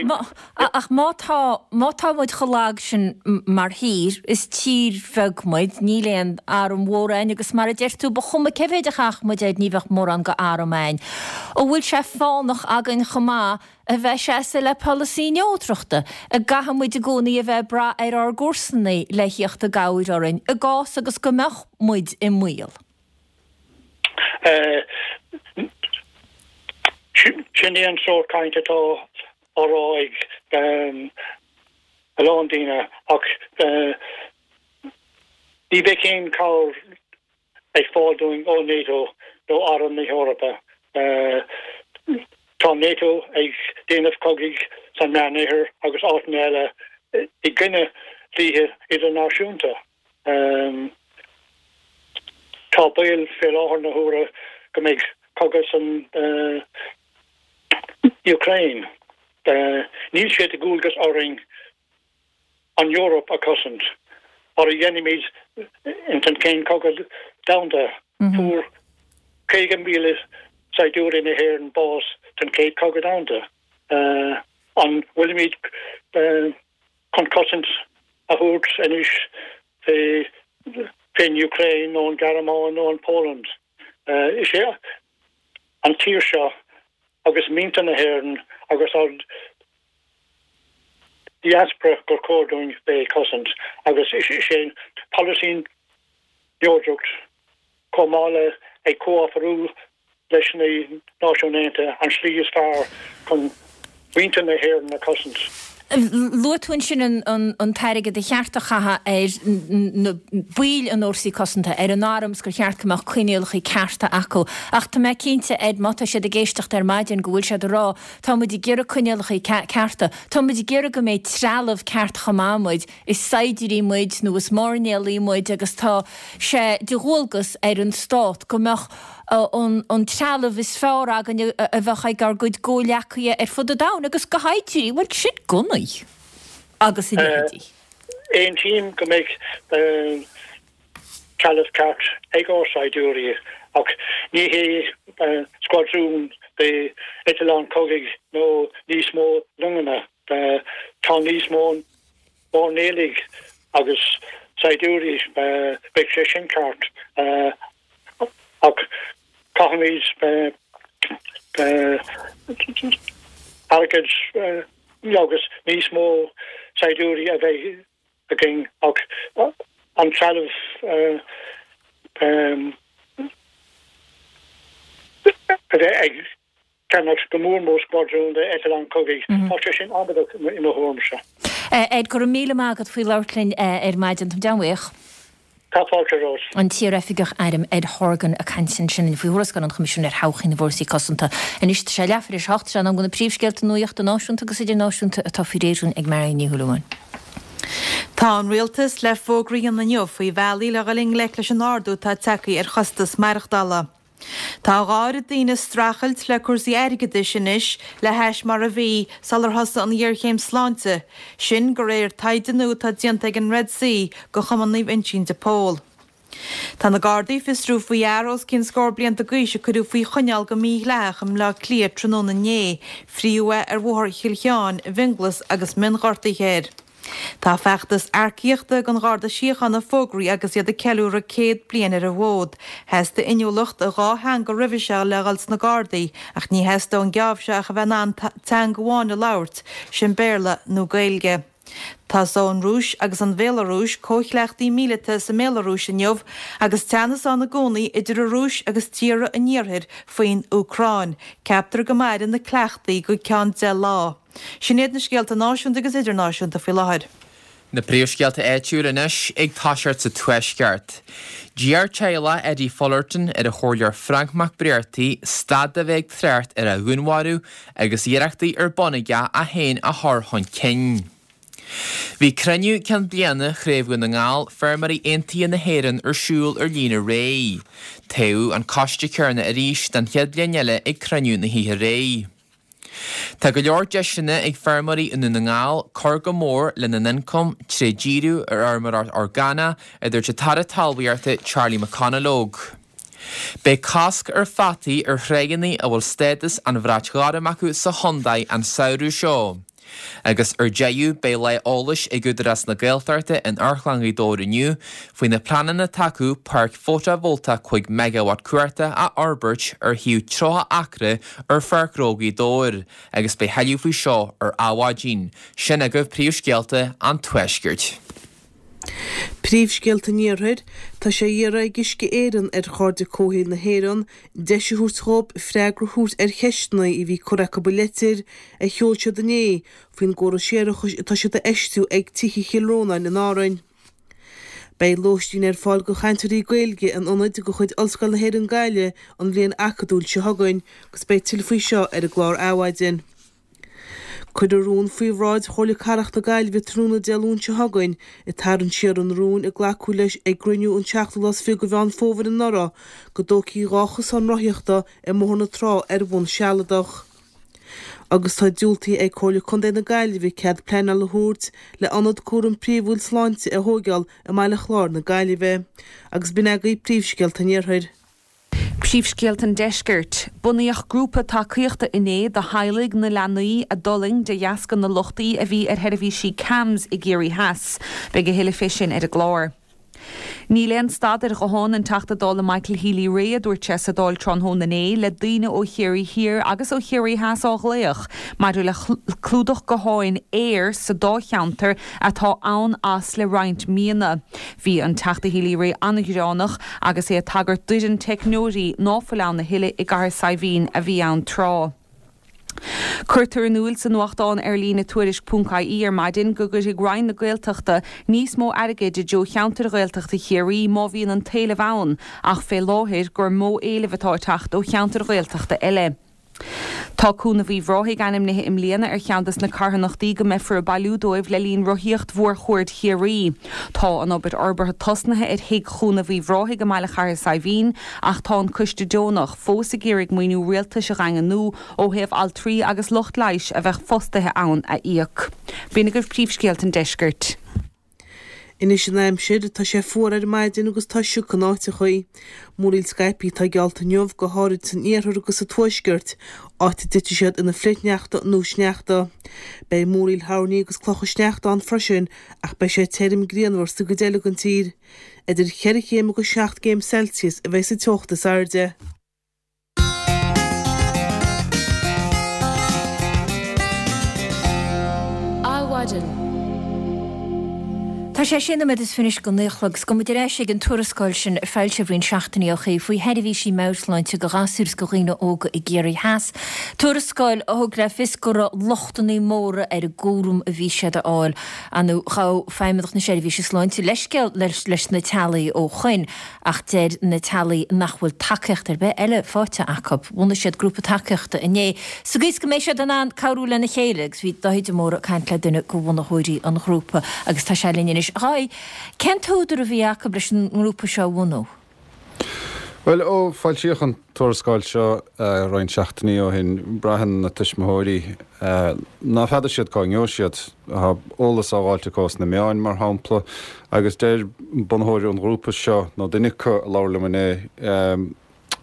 ach má tá, má tá muid chomh lag sin mar thír, is tír bheag muid, níl aon arm mhór againn agus mar a deir tú, ba chuma cé mhéid a chaithfeadh muid air, ní bheadh mórán go arm againn. An bhfuil sé fánach againn chomh maith a bheith ag seasamh le polasaí neodrachta, an gcaithfidh muid i gcónaí a bheith ag brath ar ár gcomharsana le thíocht i gcabhair orainn i gcás agus go mbeadh muid i mbaol? Sin é an sórt caint atá á rá ag a lán daoine ach ní bheidh aon chabhair ag fáil dúinn ó NATO nó Arm na hEorpa. Tá NATO ag déanamh cogaidh san Meánoirthear agus áiteanna eile i gcoinne dlíthe idirnáisiúnta. Tá baol fé láthair na huaire go mbeidh cogadh san Úcráin. Níl sé de dhualgas orainn an Eoraip a chosaint, mar a dhéanaimid ins an Chéad Chogadh Domhanda. Fuair caoga míle saighdiúirí na hÉireann bás san Chéad Chogadh Domhanda. An bhfuilimid chun cosaint a thabhairt anois fén Úcráin nó an Ghearmáin nó an Poland? Is é an tír seo agus muintir na hÉireann agus ár diaspora gur chóir dúinn bheith ag cosaint agus is é an polasaí neodracht chomh maith le ag comhoibriú leis na Náisiúin Aontaithe an slí is fearr chun muintir na hÉireann a chosaint. Luaigh tú ansin an t-airgead a cheart a chaitheamh ar na baill an fhórsaí cosanta, ar an arm is gur cheart go mbeadh coinníollacha cearta acu. Ach tá mé cinnte, Ed, má tá siad ag éisteacht ar maidin go bhfuil siad ag rá, tá muid ag iarraidh coinníollacha cearta, tá muid ag iarraidh go mbeidh trealamh ceart chomh maith muid, is saighdiúirí muid nó is mairnéalaigh muid agus tá sé de dhualgas ar an stát go mbeadh an trealamh is fearr againn a bheadh ag ár gcuid comhghleacaithe ar fud an domhain agus go háirithe, bhuel, sin gunnaí agus a leithéidí. Aontaím go mbeidh trealamh ceart ag ár saighdiúirí ach ní hé scuadrún de eitleáin cogaidh nó níos mó longanna. Tá níos mó mairnéalaigh agus saighdiúirí, beidh sé sin ceart. Ach caithfimid airgead agus níos mó saighdiúirí a bheith againn ach an trealamh a bheith ag ceannach go mór mór scuadrún de eitleáin cogaidh. Tá sé sin amaideach i mo thuairimse. Ed, go raibh míle maith agat faoi labhairt linn ar maidin. Táim an-bhuíoch. Tá fáilte romhat. An t-iar-oifigeach airm Ed Horgan ag caint ansin faoi thuarascáil an Choimisiúin ar thodhchaí na bhFórsaí Cosanta. Anois tá sé leathuair tar éis a hocht, sé an am do na príomhscéalta nuachta náisiúnta agus idirnáisiúnta atá faoi réir againn ag Marion Ní Shúilleabháin. Tá an Rialtas le fógra a dhéanamh inniu faoi bhealaí le dhul i ngleic leis an ardú atá tagtha ar chostas maireachtála. Tá a dhá oiread daoine ag streachailt le cúrsaí airgeadais anois le hais mar a bhí sular thosaigh an ghéarchéim sláinte, sin de réir taighde nua atá déanta ag an Red C do Chumann Naomh Uinseann de Pól. Tá na Gardaí ag fiosrú faoi fhear os cionn scór blianta d'aois a cuireadh faoi choinneáil go mídhleathach i mBleá Cliath tráthnóna inné. Frítheadh é ar Bhóthar Chill Sheáin i bhFionnghlas agus mionghortuithe air. Tá feachtas earcaíochta ag an Gharda Síochána fógraithe agus iad ag ceiliúradh céad bliain ar an bhfód. Theastaigh inniúlacht i dhá theanga roimhe seo le dhul sna Gardaí ach ní theastóidh an geábh seo ach a bheith in ann teanga amháin a labhairt, sin Béarla nó Gaeilge. Tosóidh an Rúis agus an Bhéalarúis comhchleachtaí míleata sa mBéalarúis inniu agus teannas ann i gcónaí idir an Rúis agus tíortha an Iarthair faoin Úcráin. Ceaptar go mairfidh na cleachtaí go ceann deich lá. Sin iad na scéalta náisiúnta agus idirnáisiúnta faoi láthair. Na príomhscéalta áitiúil anois ag toiseacht sa Tuaisceart. D'iarr teaghlach Eddie Fullerton ar an Chomhairleoir Frank McBrearty stad de bheith ag trácht ar a dhúnmharú agus iarrachtaí ar bun aige é féin a chur chun cinn. Bhí cruinniú ceann bliana Chraobh Dhún na nGall Feirmeoirí Aontaithe na hÉireann ar siúl ar líne aréir. Toghadh an coiste céanna arís don chéad bhliain eile ag cruinniú na hoíche aréir. Tá go leor deiseanna ag feirmeoirí i nDún na nGall cur go mór lena n-ioncam trí dhíriú ar fheirmeoireacht orgánach, a dúirt an tAire Talmhaíochta Charlie McConalogue. Beidh cosc ar pheataí ar thráigheanna a bhfuil stádas an bhrait ghoirm acu sa chontae an samhradh seo. Agus ar deireadh beidh lá eolais ag Údarás na Gaeltachta in Amharclann Ghaoth Dobhair inniu faoi na pleananna atá acu páirc fótavoltach cúig meigeawatt cumhachta a fhorbairt ar shuíomh tríocha acra ar Pháirc Ghnó Ghaoth Dobhair agus beidh thuilleadh faoi seo ar Adhmhaidin. Sin agaibh príomhscéalta an Tuaiscirt. Príomhscéalta an Iarthair, Tá sé á iarraidh ag Uisce Éireann ar Chairde Comhshaoil na hÉireann deis a thabhairt dhóibh freagra a thabhairt ar cheisteanna a bhí curtha acu i leitir a sheol siad inné faoin gcóras séarachais atá siad a fheistiú ag tithe Chill Rónáin in Árainn. Beidh lóistín ar fáil do chainteoirí Gaeilge in ionaid de chuid Ollscoil na hÉireann Gaillimh an bhliain acadúil seo chugainn agus beidh tuilleadh faoi seo ar an gclár Adhmhaidin. Cuirfear rún faoi bhráid Chomhairle Cathrach na Gaillimhe tráthnóna Dé Luain seo chugainn ag tarraingt siar an rúin a glacadh leis ag gcruinniú an seachtú lá is fiche de Mheán Fómhair anuraidh go dtógfaí dhá chosán rothaíochta i mBóthar na Trá ar bhonn sealadach. Agus tá diúltaithe ag Comhairle Contae na Gaillimhe cead pleanála a thabhairt le ionad cúram príomhúil sláinte a thóigeáil i mBaile Chláir na Gaillimhe. Agus b'in agaibh príomhscéalta an Iarthair. Príomhscéalta an Deiscirt. Bunaíodh grúpa tacaíochta inné do theaghlaigh na leanaí a d'fhulaing de dheasca na lochtaí a bhí ar sheirbhísí CAMHS i gCiarraí Theas. Beidh a thuilleadh fé sin ar an gclár. Níl aon stad ar ghuthán an Teachta Dála Michael Healy-Rae, a dúirt sé sa Dáil tráthnóna inné, le daoine ó Chiarraí Thiar agus ó Chiarraí Theas á ghlaoch maidir le clúdach gutháin Eir sa dá cheantar atá ann as le roinnt míonna. Bhí an Teachta Healy-Rae an-ghearánach agus é ag tagairt d'fhoireann teicneoirí ná fuil ann a thuilleadh i gCathair Saidhbhín a bhí ann tráth. Cuirtear in iúl sa nuachtán ar líne Tuairisc ponc ie ar maidin go gcuirfidh Roinn na Gaeltachta níos mó airgid i dtreo cheantair Ghaeltachta Chiarraí má bhíonn an t-éileamh ann ach fé láthair gur mó éileamh atá ag teacht ó cheantair Ghaeltachta eile. Tá Cúnamh Uíbh Ráthaigh ainmnithe i mbliana ar cheann des na carthanachtaí go mbeifear ag bailiú dóibh le linn Rothaíocht Mhórchuaird Chiarraí. Tá an obair fhorbartha tosnaithe ar Thigh Chúnamh Uíbh Ráthaigh i mBaile Chathair Saidhbhín ach tá an coiste deonach fós ag iarraidh maoiniú rialtais a dhaingniú ó thaobh altraí agus lucht leighis a bheadh fostaithe ann a íoc. B'in agaibh príomhscéalta an deiscirt. Anois an aimsir, tá sé fuar ar maidin agus tá sioc in áiteachaí. Múraíl scaipthe atá geallta inniu, go háirid san iarthar agus sa tuaisceart, áit a dtitfidh siad ina flichshneachta nó sneachta. Beidh múraíl thoirní agus clocha sneachta ann freisin ach beidh sé tirim grianmhar sa gcuid eile den tír. Idir cheithre chéim agus seacht gcéim Celsius a bheidh sa teocht is airde. Tá sé sé nóiméad is fiche anois go naoi a chlog agus gabhfaidh muid ar ais ag an tuarascáil sin a foilsíodh roinnt seachtainí ó shin faoi sheirbhísí meabhairshláinte do ghasúir is do dhaoine óga i gCiarraí Theas. Tuarascáil a thug le fios go raibh lochtanna móra ar an gcúram a bhí siad a fháil. Ar ndóigh ghabh Feidhmeannacht na Seirbhíse Sláinte leithscéal leis na teaghlaigh ó shoin ach deir na teaghlaigh nach bhfuil tacaíocht ar bith eile faighte acu. Bhunaigh siad grúpa tacaíochta inné sa gcaoi is go mbeidh siad in ann cabhrú lena chéile agus bhí Dáithí de Mórdha ag caint le duine de bhunaitheoirí an ghrúpa agus tá sé linn anois. A Dháithí, cén t-údar a bhí acu leis an ngrúpa seo a bhunú? Bhuel, ó foilsíodh an tuarascáil seo roinnt seachtainí ó shin, braitheann na tuismitheoirí ná feadar siad cá ngeobhaidh siad. Tá eolas á dháilt acu sna meáin, mar shampla, agus deir bunaitheoir an ghrúpa seo, nó duine acu a labhair liom inné,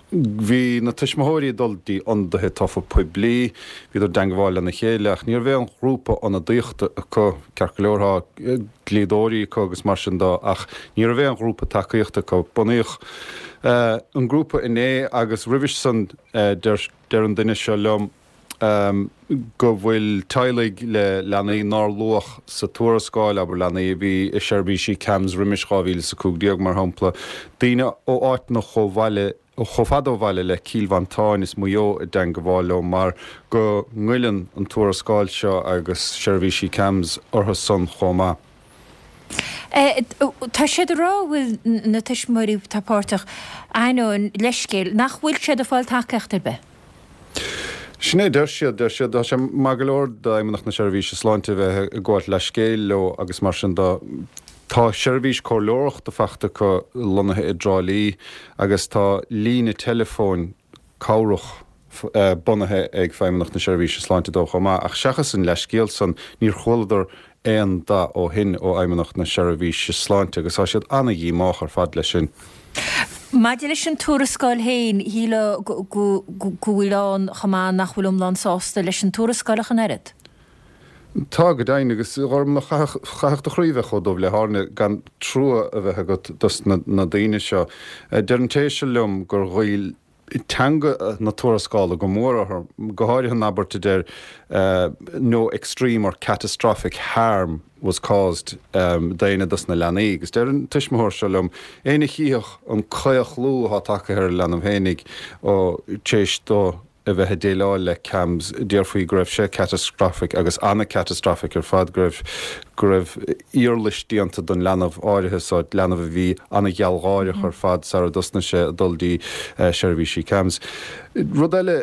Bhí na tuismitheoirí ag dul dtí ionadaithe tofa poiblí, bhíodar i dteangmháil lena chéile ach ní raibh aon ghrúpa ionadaíochta acu. Ceart go leor tá dlíodóirí acu agus mar sin de ach ní raibh aon ghrúpa tacaíochta acu. Bunaíodh an grúpa inné agus roimhe san deir an duine seo liom, go bhfuil teaghlaigh le leanaí nár luadh sa tuarascáil, abair leanaí a bhí i seirbhísí CAMHS roimis dhá mhíle is a cúig déag, mar shampla, daoine ó áiteanna chomh bhaile, chomh fada ó bhaile le Cill Mhantáin is Maigh Eo i dteangmháil leo mar go ngoilleann an tuarascáil seo agus seirbhísí CAMHS orthu san chomh maith. Tá siad ag rá go bhfuil na tuismitheoirí atá páirteach, ainneoin leithscéil, nach bhfuil siad ag fáil tacaíocht ar bith. Sin é a deir siad. Deir siad, tá sé maith go leor d'Fheidhmeannacht na Seirbhíse Sláinte a bheith ag gabháilt leithscéil leo agus mar sin de. Tá seirbhís comhairleoireachta faighte acu lonnaithe i dTrá Lí agus tá líne teileafóin cabhrach bunaithe ag Feidhmeannacht na Seirbhíse Sláinte dóibh chomh maith. Ach seachas an leithscéal san, níor chualadar aon dath ó shin ó Fheidhmeannacht na Seirbhíse Sláinte agus tá siad ana-dhíomách ar fad leis sin. Maidir leis an tuarascáil féin, shílfeá go bhfuil ann chomh maith nach bhfuil iomlán sásta leis an tuarascáil ach an oiread. Tá, go deimhin, agus a Ghormlaith, chaithfeadh do chroí bheith chomh dubh le hairne gan trua a bheith agat dos na daoine seo. Deir an té seo liom gur ghoill teanga na tuarascála go mór orthu, go háirithe an abairt a deir no extreme or catastrophic harm was caused d'éinne dos na leanaí. Agus deir an tuismitheoir seo liom, éinne a chífeadh an claochlú atá tagtha ar a leanbh fhéinig ó t'éis dó a bheith ag déileáil le CAMHS, déarfaí go raibh sé catastrophic agus ana-catastrophic ar fad, go raibh go raibh iarlais déanta don leanbh áirithe so, leanbh a bhí ana-ghealgháireach ar fad sara dtosnaigh sé ag dul dtí seirbhísí CAMHS. Rud eile,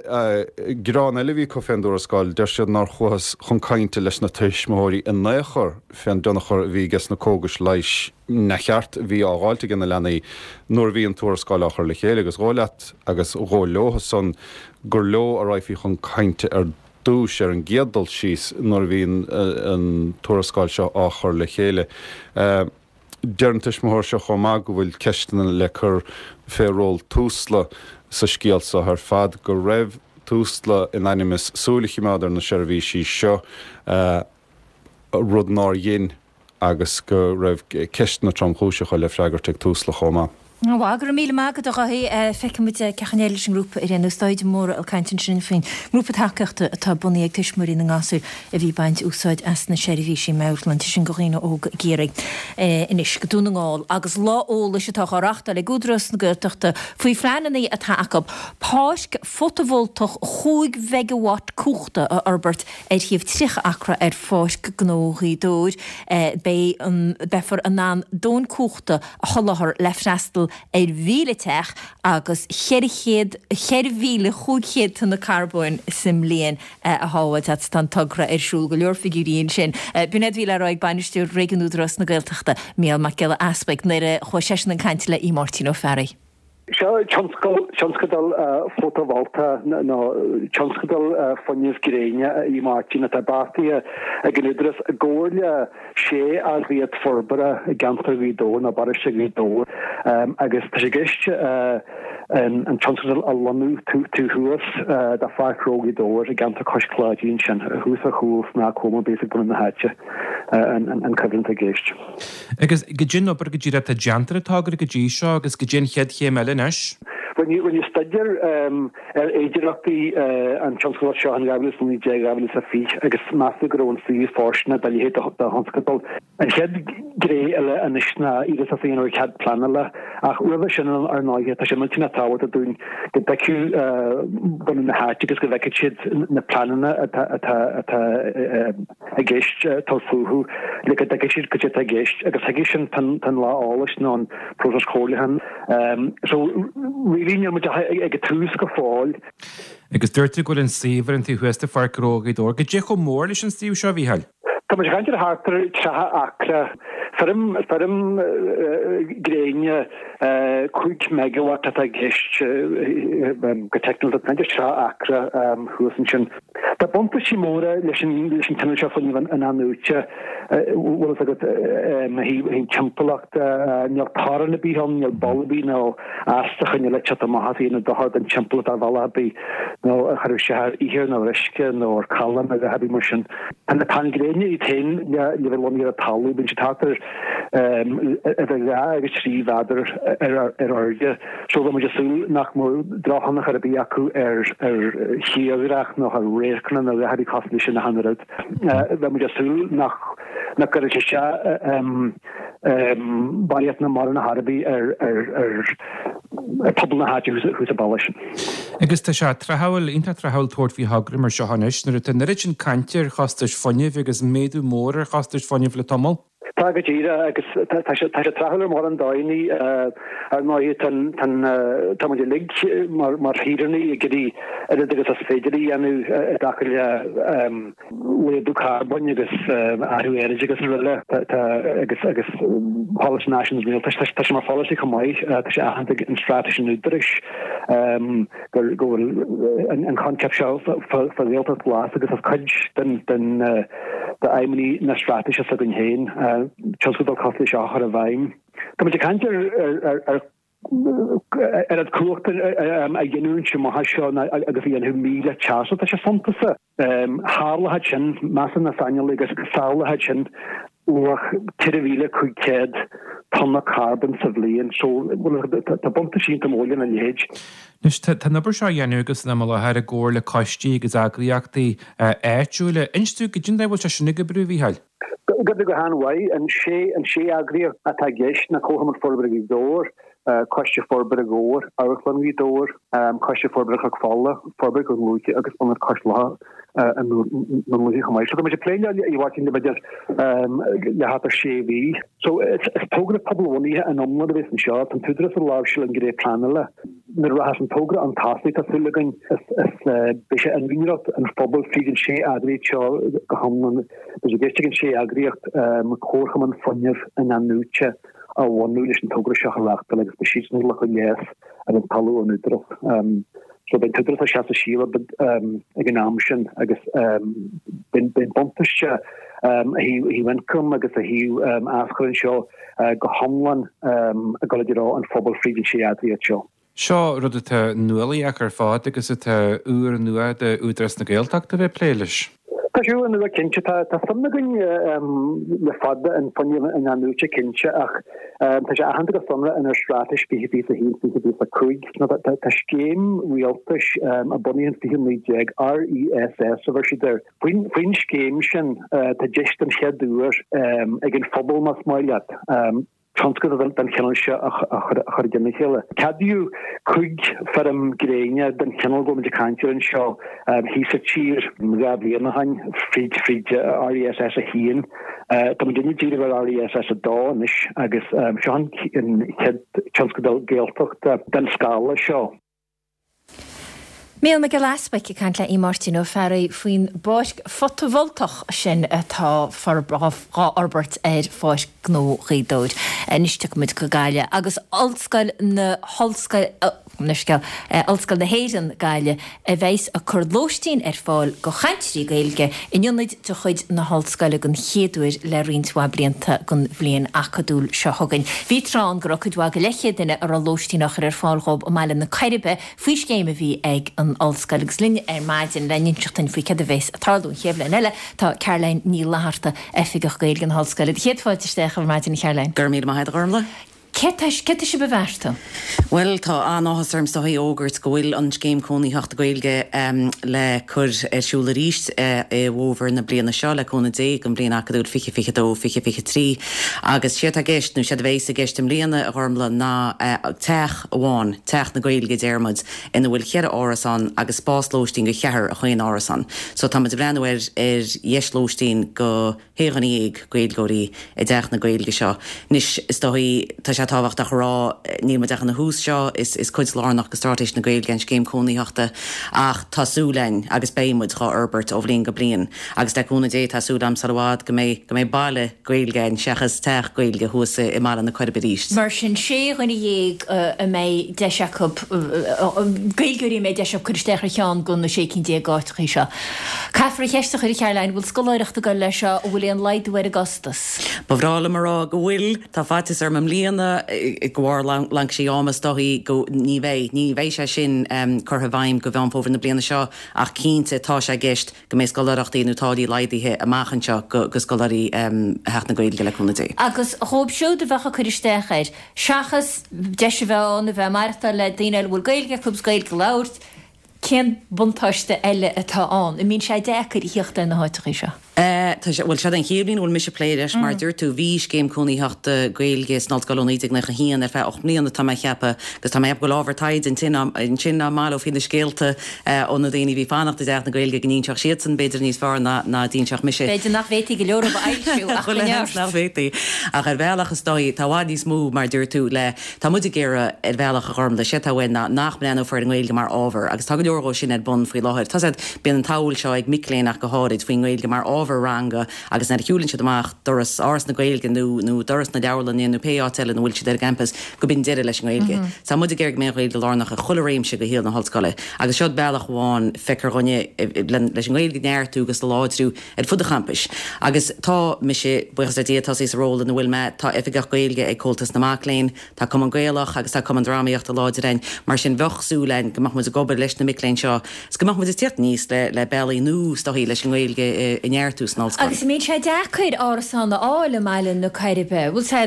gearán eile a bhí acu fén dtuarascáil, deir siad nár chuathas chun cainte leis na tuismitheoirí in aon chor fén dtionchar a bhí ages na cógais leighis neamhcheart a bhí á dháilt aige na leanaí nuair a bhí an tuarascáil á chur le chéile agus dhóigh leat agus dhóigh leo san gur leo a raghfaí chun cainte ar dtús ar an gcéad dul síos nuair a bhí an tuarascáil seo á chur le chéile. Deir an tuismitheoir seo chomh maith go bhfuil ceisteanna le cur fé ról Tusla sa scéal seo ar fad, go raibh Tusla in ainm is súil a chimeád ar na seirbhísí seo, rud nár dhein. agus go raibh ceisteanna tromchúiseacha le freagairt ag Tusla chomh maith. Bhuel, go raibh míle maith agat a Dháithí. Feicfidh muid cén chaoi a n-éireoidh leis an ngrúpa ar aon nós. Dáithí de Mórdha ag caint ansin faoin ngrúpa tacaíochta atá bunaithe ag tuismitheoirí na ngasúr a bhí ag baint úsáid as na seirbhísí meabhairshláinte sin do dhaoine óga i gCiarraí. Anois go Dún na nGall agus lá eolais atá á reáchtáil ag Údarás na Gaeltachta faoi phleananna atá acu páirc fótavoltach chúig mheigeawatt cumhachta a fhorbairt ar shuíomh tríocha acra ar Pháirc Gnó Ghaoth Dobhair, beidh an beifear in ann dóthain cumhachta a sholáthar le freastal ar mhíle teach agus cheithre chéad, cheithre mhíle chúig chéad tonna carbóin sa mbliain a shábháilt. Tá an togra ar siúl, go leor figiúirí ansin. B'in iad a bhí le rá ag Bainisteoir Réigiúin Údarás na Gaeltachta, Mícheál Mac Giolla Easbuig, nuair a chuaigh seisean ag caint le Aodh Máirtín Ó Fearraigh. Seo tionscadal fótavolta nó tionscadal fuinnimh gréine, a Aodh Máirtín, atá beartaithe ag an Údarás i gcomhar le sé eagraíocht forbartha i gceantar Ghaoth Dobhair nó bparóiste Ghaoth Dobhair agus tá sé i gceist an tionscadal a lonnú taobh thuas de Pháirc Ghnó Ghaoth Dobhair i gceantar Cois Claidí ansin, thuas ar chúl Snáth Cóma bíos ag bunadh na háite an cuibhreann atá i gceist. Agus goidé an obair go díreach atá déanta ar an togra go dtí seo agus goidé an chéad chéim eile anois? Rinneadh staidéar ar fhéidearthachtaí an tionscadail seo in dhá mhíle is a naoi déag, dhá mhíle is a fiche agus measadh go raibh an suíomh fóirsteanach dá leithéid de thionscadal. An chéad ghné eile anois ná iarratas a dhéanamh ar chead pleanála ach roimhe sin ar ndóigh tá sé millteanach tábhachtach dúinn go dtuigfeadh bunadh na háite agus go bhfeicfeadh siad na pleananna atá atá i gceist tabhairt fúthu le go dtuigfidh siad cad é atá i gceist agus chuige sin tá an lá eolais nó an próiseas comhairliúcháin. So really níl muid ach ag an tús go fóill. Agus dúirt tú go bhfuil an suíomh ar an taobh thuas de Pháirc Ghnó Ghaoth Dobhair. Goidé chomh mór leis an suíomh seo, a Mhícheáil? Tá muid ag caint ar thart ar tríocha acra. Feirm, feirm gréine cúig megawatt atá i gceist go teicniúil. Tá muid ag caint ar tríocha acra thuas ansin. Tá buntáistí móra leis an leis an cineál seo fuinnimh in-athnuaite, bhfuil fhios agat, ó thaobh timpeallachta, níl torann ar bith ann, níl baol ar bith nó astaíochtaí eile ag teacht amach as a dhéanamh dochar don timpeallacht ar bhealach ar bith nó a chuirfeadh isteach ar ithir nó ar uisce nó ar chalán nó a dhath ar bith mar sin. Tá na painéil gréine iad féin le le bheith lonnaithe ar an talamh, bíonn siad thart ar idir dhá agus trí mhéadar ar ar airde so bheadh muid ag súil nach mbeadh drochthionchar ar bith acu ar ar thírdhreach nó ar radharcanna nó a dhath ar bith cosúil leis sin ach an oiread. Bheadh muid ag súil nach nach gcuirfeadh sé isteach barraíocht ná mórán ar chor ar bith ar ar ar phobal na háite thuas sa bhaile sin. Agus tá sé tráthúil, iontach tráthúil tabhairt faoi thogra mar seo anois nuair atá an oiread sin cainte ar chostais fuinnimh agus méadú mór ar chostais fuinnimh le tamall. Tá go díreach agus tá sé tráthúil ar mhórán dóigheanna. Ar ndóigh tá muid uilig mar shaoránaigh ag iarraidh oiread agus is féidir a dhéanamh i dtaca le laghdú carbóin agus athrú aeráide agus araile agus agus polasaí náisiúnta an rialtais. Tá sé mar pholasaí chomh maith, tá sé aitheanta ag an straitéis an Údaráis go bhfuil an coincheap seo fá Ghaeltacht Ghlas agus is cuid den d'aidhmeanna na straitéise s'againn féin tionscadal cosúil leis seo a chur i bhfeidhm. Tá muid ag caint ar ar oiread cumhachta a ghiniúint amach anseo agus a dhéanfadh míle teach, so tá sé suntasach. Tharlódh sin, measann na saineolaithe go sábhálfadh sin luach ceithre mhíle cúig chéad tonna carbóin sa bhliain, so tá buntáistí iontach mór lena leithéid. Anois, tá an obair seo á dhéanamh agat san am i láthair i gcomhar le coistí agus eagraíochtaí áitiúla. Inis dúinn goidé an dóigh a bhfuil sé sin ag oibriú, a Mhícheáil? Ag oibriú go han-mhaith. An sé an sé eagraíocht atá i gceist ná Comharchumann Forbartha Ghaoth Dobhair, Coiste Forbartha Dhobhair, Amharclann Ghaoth Dobhair, Coiste Forbartha Chnoc Fola, Forbairt Dhún Lúiche agus Ionad Cois Locha i nDún Lúiche chomh maith. So tá muid ag plé leo a Mháirtín le b'fhéidir le thart ar sé mhí. So is togra pobalbhunaithe in iomlán a bhéas anseo. Tá an tÚdarás ag láimhseáil an ghné pleanála. Nuair a rachas an togra chun tosaigh tá súil againn is beidh sé in úinéireacht an phobail fríd an sé eagraíocht seo go hiomlán. Beidh sé i gceist ag an sé eagraíocht comharchumann fuinnimh in-athnuaite a bhunú leis an togra seo a reáchtáil agus beidh siadsan ag glacadh léas ar an talamh ón Údarás. So beidh an tÚdarás ag seasamh siar ag an am sin agus beidh an buntáiste ó thaobh ioncaim agus ó thaobh aschur anseo go hiomlán ag dul i dtreo an phobail fríd an sé eagraíocht seo. Seo rud atá nuálaíoch ar fad agus atá úrnua d'Údarás na Gaeltachta a bheith ag plé leis. Tá sé úrnua cinnte. Tá suim againn le fada in fuinneamh in-athnuaite cinnte ach tá sé aitheanta go sonrath inár Straitéis fiche fiche a haon, fiche fiche a cúig. Tá scéim rialtais a bunaíodh in fiche naoi déag, RESS a bheir siad air. Faoin scéim sin tá deis den chéad uair ag an phobal, más maith leat, tionscadal den chineál seo a chur i dtoll a chéile. Ceadaíodh cúig feirm gréine den chineál go bhfuil muid ag caint air anseo thíos sa tír dhá bhliain ó shin fríd fríd RESS a haon. Tá muid ag díriú ar RESS a dó anois agus seo an chéad tionscadal Gaeltachta den scála seo. Mícheál Mac Giolla Easbuic ag caint le Aodh Máirtín Ó Fearraigh faoin bpáirc fotavoltach sin atá dhá fhorbairt ar Pháirc Gnó Ghaoth Dobhair. Anois tiocfaidh muid go Gaillimh agus Ollscoil na hOllscoil, Ollscoil na hÉireann, Gaillimh, a bheas ag cur lóistín ar fáil go chainteoirí Gaeilge in ionaid de chuid na hOllscoile den chéad uair le roinnt mhaith blianta don bhliain acadúil seo chugainn. Bhí tráth ann go raibh cuid mhaith de leathchéad duine a raibh lóistín á chur ar fáil dhóibh i mBaile na Coiribe faoi scéim a bhí ag an Ollscoil agus linn ar maidin le n-inseacht duinn faoi céard a bheas ag tarlú an chéad bhliain eile tá Caroline Ní Fhlatharta, Oifigeach Gaeilge na hOllscoile. Céad fáilte isteach ar maidin a Charoline. Go raibh míle maith agat a Ghormfhlaith. Céard tá sibh a bheartú? Bhuel, tá an-áthas orm is dóichí a fhógairt go bhfuil an Scéim Cónaitheachta Gaeilge le cur ar siúl arís i bhfómhar na bliana seo, le cúnamh Dé, don bhliain acadúil fiche fiche dó, fiche fiche trí. Agus séard atá i gceist, nó séard a bheas i gceist i mbliana, a Ghormlaith, ná teach amháin, Teach na Gaeilge a deir muid, ina bhfuil cheithre árasán agus spás lóistín do cheathrar i chaon árasán. So tá muid ag breathnú ar ar dheis lóistín do shé dhuine dhéag Gaeilgeoirí i dTeach na Gaeilge seo. Anois, is dóichí, tá sé tábhachtach a rá, níl muid ach ina thús seo, is is cuid lárnach de Straitéis na Gaeilge an scéim cónaitheachta ach tá súil againn agus beidh muid dhá fhorbairt ó bhliain go bliain agus le cúnamh Dé tá súil agam sar i bhfad go mbeidh go mbeidh baile Gaeilge againn seachas teach Gaeilge thuas i mBaile na Coiribe arís. Mar sin, sé dhuine dhéag a mbeidh deis acu, Gaeilgeoirí a mbeidh deis acu cur isteach ar cheann de na sé cinn déag áiteachaí seo. Caithfear an cheist a chur, a Charoline, an bhfuil scoláireacht ag dul leis seo, an bhfuil aon laghdú ar an gcostas? Ba bhreá liom a rá go bhfuil. Tá faitíos orm i mbliana, de bharr laincisí ama is dóichí, go, ní bheidh. Ní bheidh sé sin curtha i bhfeidhm go Mheán Fómhair na bliana seo ach cinnte tá sé i gceist go mbeidh scoláireachtaí nó táillí laghdaithe amach anseo go scoláirí Theach na Gaeilge le cúnamh Dé. Agus dhóibh siúd a bheadh ag cur isteach air, seachas deis a bheith ann a bheith ag maireachtáil le daoine eile a bhfuil Gaeilge acu agus Gaeilge a labhairt, cén buntáiste eile atá ann? An mbíonn sé deacair a theacht ar na háiteachaí seo? Tá sé, bhuel, seod é an chéad bhliain a bhfuil mise ag plé leis, mar a dúirt tú, bhí scéim cónaitheachta Gaeilge san Ollscoil ó naoi déag nócha a haon ar feadh ocht mbliana, tá mé ag ceapadh, agus tá mé ag ceapadh go bhfuil ábhar taighde ansin, ansin dá mbaileofaí na scéalta ó na daoine a bhí ag fanacht i dTeach na Gaeilge go n-inseodh siadsan b'fhéidir níos fearr ná ná a d'inseodh mise. B'fhéidir nach bhféadfaí go leor a fhoilsiú ach go neart. Nach bhféadfaí. Ach ar bhealach is dóigh, tá i bhfad níos mó, mar a dúirt tú, le, tá muid ag iarraidh ar bhealach a Ghormlaith, sé atá uainn ná nach mbreathnófar ar an nGaeilge mar ábhar agus tá go leor dhó sin ar bun faoi láthair. Tá siad, bíonn an tsamhail seo ag mic léinn ach go háirid faoin nGaeilge mar ábhar ranga agus nuair a shiúlann siad amach doras Áras na Gaeilge nó nó doras na leabharlainne nó pé áit eile ina bhfuil siad ar an gcampas go b'in deireadh leis an nGaeilge. Tá muid ag iarraidh go mbeidh an Ghaeilge lárnach i chuile réimse de shaol na hollscoile agus seod bealach amháin feictear dhúinne leis an nGaeilge a neartú agus a láidriú ar fud an champais. Agus tá mise, buíochas le Dia, tosaithe sa ról ina bhfuil mé, tá Oifigeach Gaeilge ag Comhaltas na Mac Léinn, tá Cumann Gaelach agus tá Cumann Drámaíochta láidir againn, mar sin bheadh súil againn go mbeadh muid ag obair leis na mic léinn seo is go mbeadh muid ag tíocht aníos le le bealaí nua is dóichí leis an nGaeilge a neartú san ollscoil. Agus an mbíonn sé deacair árasán a fháil i mBaile na Coiribe? Bhfuil sé,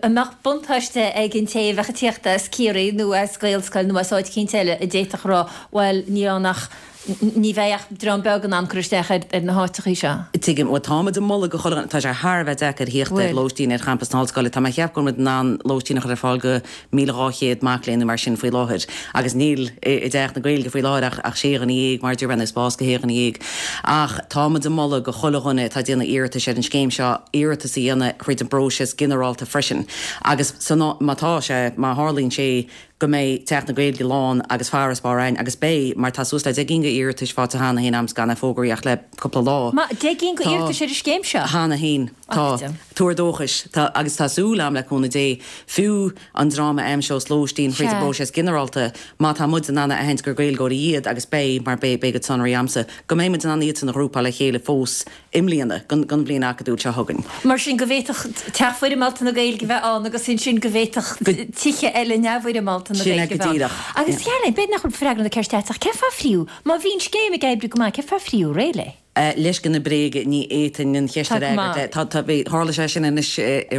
an mbeadh buntáiste ag an té a bheadh ag tíocht as Ciarraí nó as Gaelscoil nó as áit eicínt eile a d'fhéadfadh a rá, bhuel, níl ann ach, ní bheidh ach dream beag in ann cur isteach ar na háiteachaí seo. Tuigim. Bhuel, tá muid ag moladh go chuile dhuine, tá sé thar a bheith deacair thíocht ar lóistín ar champas na hollscoile. Tá mé ag ceapadh go bhfuil muid in ann lóistín a chur ar fáil go míle dhá chéad mac léinn nó mar sin faoi láthair agus níl i dTeach na Gaeilge faoi láthair ach ach sé dhuine dhéag, mar a deir mé, nó spás go shé dhuine dhéag. Ach tá muid ag moladh go chuile dhuine atá ag déanamh iarratais ar an scéim seo iarratas a dhéanamh thríd an bpróiseas ginearálta freisin agus san má tá sé, má tharlaíonn sé go mbeidh Teach na Gaeilge lán agus farasbarr againn, agus beidh, mar tá suas le deich gcinn d'iarratais faighte cheana féin a'm gan é a fógraí ach le cúpla lá. Ma, deich gcinn d'iarratais ar an scéim seo? Cheana féin. Tá. Tuar dóchais. Tá, agus tá súil a'm, le cúnamh Dé, fiú an dream a aimseos lóistín thríd an bpróiseas ginearálta, má tá muid in ann a aithint gur Gaeilgeoirí iad, agus beidh, mar beidh, beidh a gcuid sonraí a'msa, go mbeidh muid in ann iadsan a ghrúpáil le chéile fós i mbliana, don bhliain acadúil seo chugainn. Mar sin, go bhféadfadh teach foirmeálta na Gaeilge a bheith ann agus ansin go bhféadfadh tithe eile neamhfhoirmeálta na Sin é Gaeilge go a bheith ann. díreach. Agus, Caroline, b'fhéidir nach bhfuil freagra na ceiste agat ach cén fáth ar fríothadh, má bhí an scéim ag oibriú go maith, cén fáth ar fríothadh réidh léi? Leisce na bréige, ní fhéadfainn an cheist a Tá go fhreagairt. maith. Tá, tá, bhí, tharla sé sin anois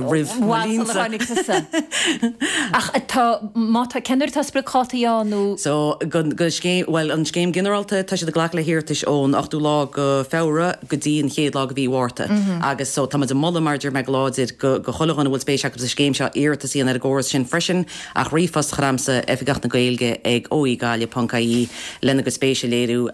roimh mo Bhfad sular linnse. tháinig tusa. Ach tá, má tá, cén uair atá spriocdhátaí ann nó? So, don, don scéim, bhuel, an scéim ginearálta, tá siad ag glacadh le hiarratais ón ochtú lá go Feabhra go dtí an chéad lá go mhí Mhárta. Agus so, tá muid ag moladh, mar a deir mé go láidir, go, go chuile dhuine a bhfuil spéis acu sa scéim seo iarratas a dhéanamh ar an gcóras sin freisin, ach ríomhphost a chur a'msa, Oifigeach na Gaeilge ag O E Gaillimh ponc I E, lena gcuid spéise a léiriú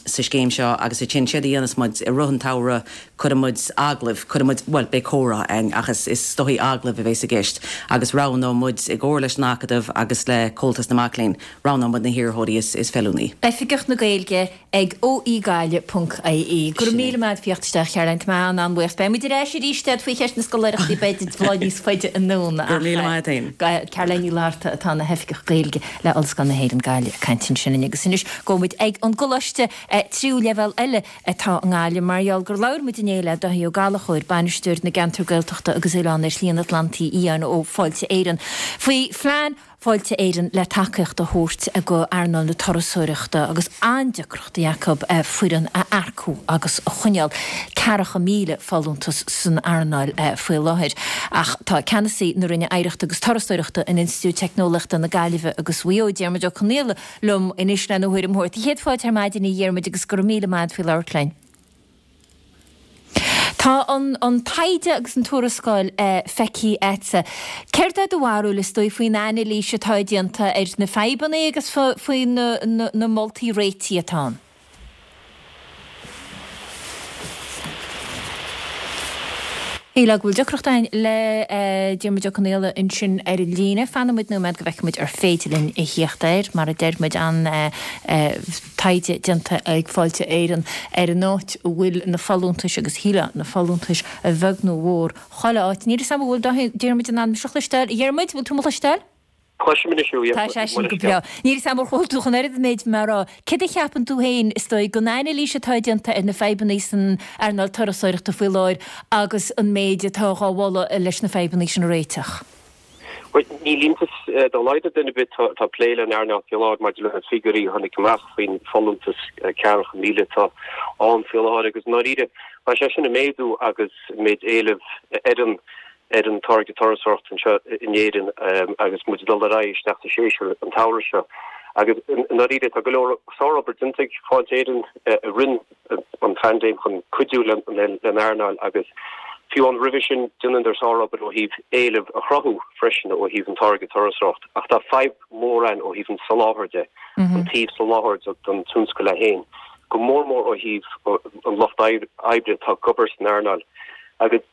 sa scéim seo agus ansin séard a dhéanfas muid i rith an tsamhraidh, cuirfidh muid agallaimh, cuirfidh muid, bhuel, beidh comhrá againn ach is is dóichí agallaimh a bheas i gceist agus roghnóidh muid i gcomhar leis an Acadamh agus le Comhaltas na Mac Léinn, roghnóidh muid na hiarrthóirí is is feiliúnaí. Oifigeach na Gaeilge ag O E Gaillimh ponc I E. Go raibh míle maith agat as theacht isteach, Caroline, tá mé an-an-bhuíoch. Beidh muid ar ais arís leat faoi cheist na scoláireachtaí b'fhéidir lá níos faide anonn Go raibh míle maith agat féin. Caroline Ní Fhlatharta atá ina hOifigeach Gaeilge le Ollscoil na hÉireann Gaillimh ag caint ansin linn agus anois gabhfaidh muid ag an gcoláiste tríú leibhéal eile atá i nGaillimh mar gheall gur labhair muid inné le Dáithí Ó Gallchóir, Bainisteoir na gCeantar Gaeltachta agus Oileán ar Shlí an Atlantaigh Fhiáin ó Fáilte Éireann, faoi phlean Fáilte Éireann le tacaíocht a thabhairt go earnáil na turasóireachta agus an-deacrachtaí acu foireann a earcú agus a choinneáil. Ceathracha míle folúntas san earnáil faoi láthair. Ach tá ceannasaí na Roinne Oidhreachta agus Turasóireachta in Institiúid Teicneolaíochta na Gaillimhe agus Mhaigh Eo, Diarmuid Ó Conghaile, liom anois lena thuairim a thabhairt. Céad fáilte ar maidin a Dhiarmuid agus go raibh míle maith agat faoi labhairt linn. Tá an an taighde agus an tuarascáil feicthe agatsa. Céard é do bharúil is dóigh faoin anailís atá déanta ar na fadhbanna agus faoi na na moltaí réitigh atá ann? Shílfeá go bhfuil deacracht againn le Diarmuid Ó Conghaile ansin ar an líne. Fanfaidh muid nóiméad go bhfeicfidh muid ar féidir linn a theacht air. Mar a deir muid, an taighde déanta ag Fáilte Éireann ar an áit a bhfuil na folúntais agus shílfeá na folúntais a bheag nó a mhór chuile áit. Níl a fhios agam an bhfuil Diarmuid in ann mise a chloisteáil. A Dhiarmuid, bhfuil tú mo chloisteáil? Cloisim anois thú, Tá sé sin go breá. Níl a fhios agam ar chuala tú an oiread den méid mé a rá. Céard a cheapann tú féin, is dóigh, den anailís atá déanta ar na fadhbanna san earnáil turasóireachta faoi láthair agus an méid atá dhá mholadh leis na fadhbanna sin a réiteach? Bhuel, níl iontas dá laghad ar duine ar bith atá ag plé leis an earnáil faoi láthair maidir le na figiúirí a tháinig amach faoin folúntas ceathracha míle atá ann faoi láthair agus i ndáiríre tá sé sin ag méadú agus méid éilimh ar an ar an táirge turasóireachta anseo in Éirinn agus muid ag dul ar aghaidh isteach sa séasúr an tsamhradh seo. Agus i ndáiríre tá go leor sárobair déanta ag Fáilte Éireann i rith an phaindéim chun cuidiú leis an earnáil agus fiú amháin roimhe sin dheineadar sárobair ó thaobh éileamh a chruthú freisin ó thaobh an táirge turasóireachta. Ach tá fadhb mhór ann ó thaobh an soláthair de, an taobh soláthair don tionscal é féin, go mór mór ó thaobh an lucht oibre atá ag obair san earnáil. Agus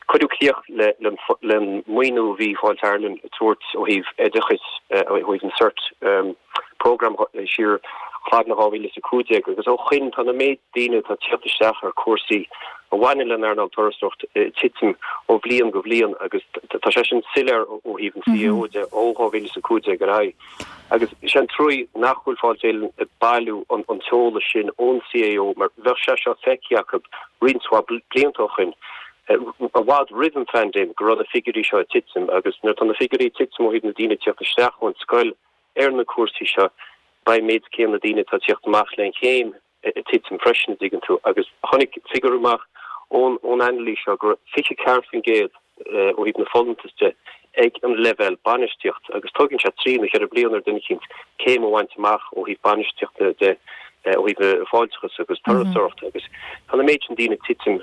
cuireadh críoch leis an maoiniú a bhí Fáilte Ireland ag tabhairt ó thaobh oideachais, ó thaobh an Cert Programme siar fad na dhá mhíle is a cúig déag agus ó shoin tá na méid daoine atá ag tíocht isteach ar cúrsaí a bhaineann le an earnáil turasóireacht ag titim ó bhliain go bhliain agus tá sé sin soiléir ó thaobh an CAO de ó dhá mhíle is a cúig déag ar aghaidh. Agus is é an trua nach bhfuil Fáilte Éireann ag bailiú an t-eolas sin ón CAO mar bheadh sé seo feicthe acu roinnt mhaith blianta ó shoin, i bhfad roimh an phaindéim, go raibh na figiúirí seo ag titim. Agus nuair atá na figiúirí ag titim ó thaobh na daoine ag tíocht isteach ón scoil ar na cúrsaí seo, beidh an méid céanna daoine atá ag tíocht amach le an chéim ag titim freisin, an dtuigeann tú. Agus tháinig figiúr amach ón ón anailís seo go raibh fiche ceathair faoin gcéad ó thaobh na folúntas de ag an leibhéal bainistíochta agus tógann sé trí nó ceithre bliana ar duine eicínt céim a bhaint amach ó thaobh bainistíochta de ó thaobh na fáilteachas agus turasóireachta agus tá na méid sin daoine ag titim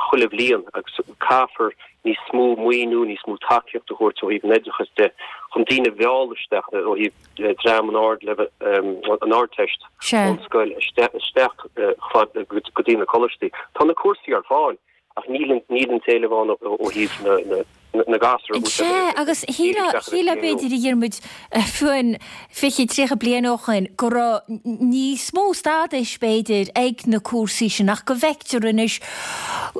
chuile bhliain agus caithfear níos mó maoiniú, níos mó tacaíocht a thabhairt ó thaobh an oideachais de chun daoine a mhealladh isteach ó thaobh dream an ard an Ardteist ón scoil isteach go dtí na coláistí. Tá na cúrsaí ar fáil ach níl an t-éileamh ann ó thaobh na gasúr a Sea, agus shílfeá, b'fhéidir, a Dhiarmuid, fiú amháin fiche, tríocha bliain ó shoin go raibh níos mó stádais, b'fhéidir, ag na cúrsaí sin ach go bhfeictear anois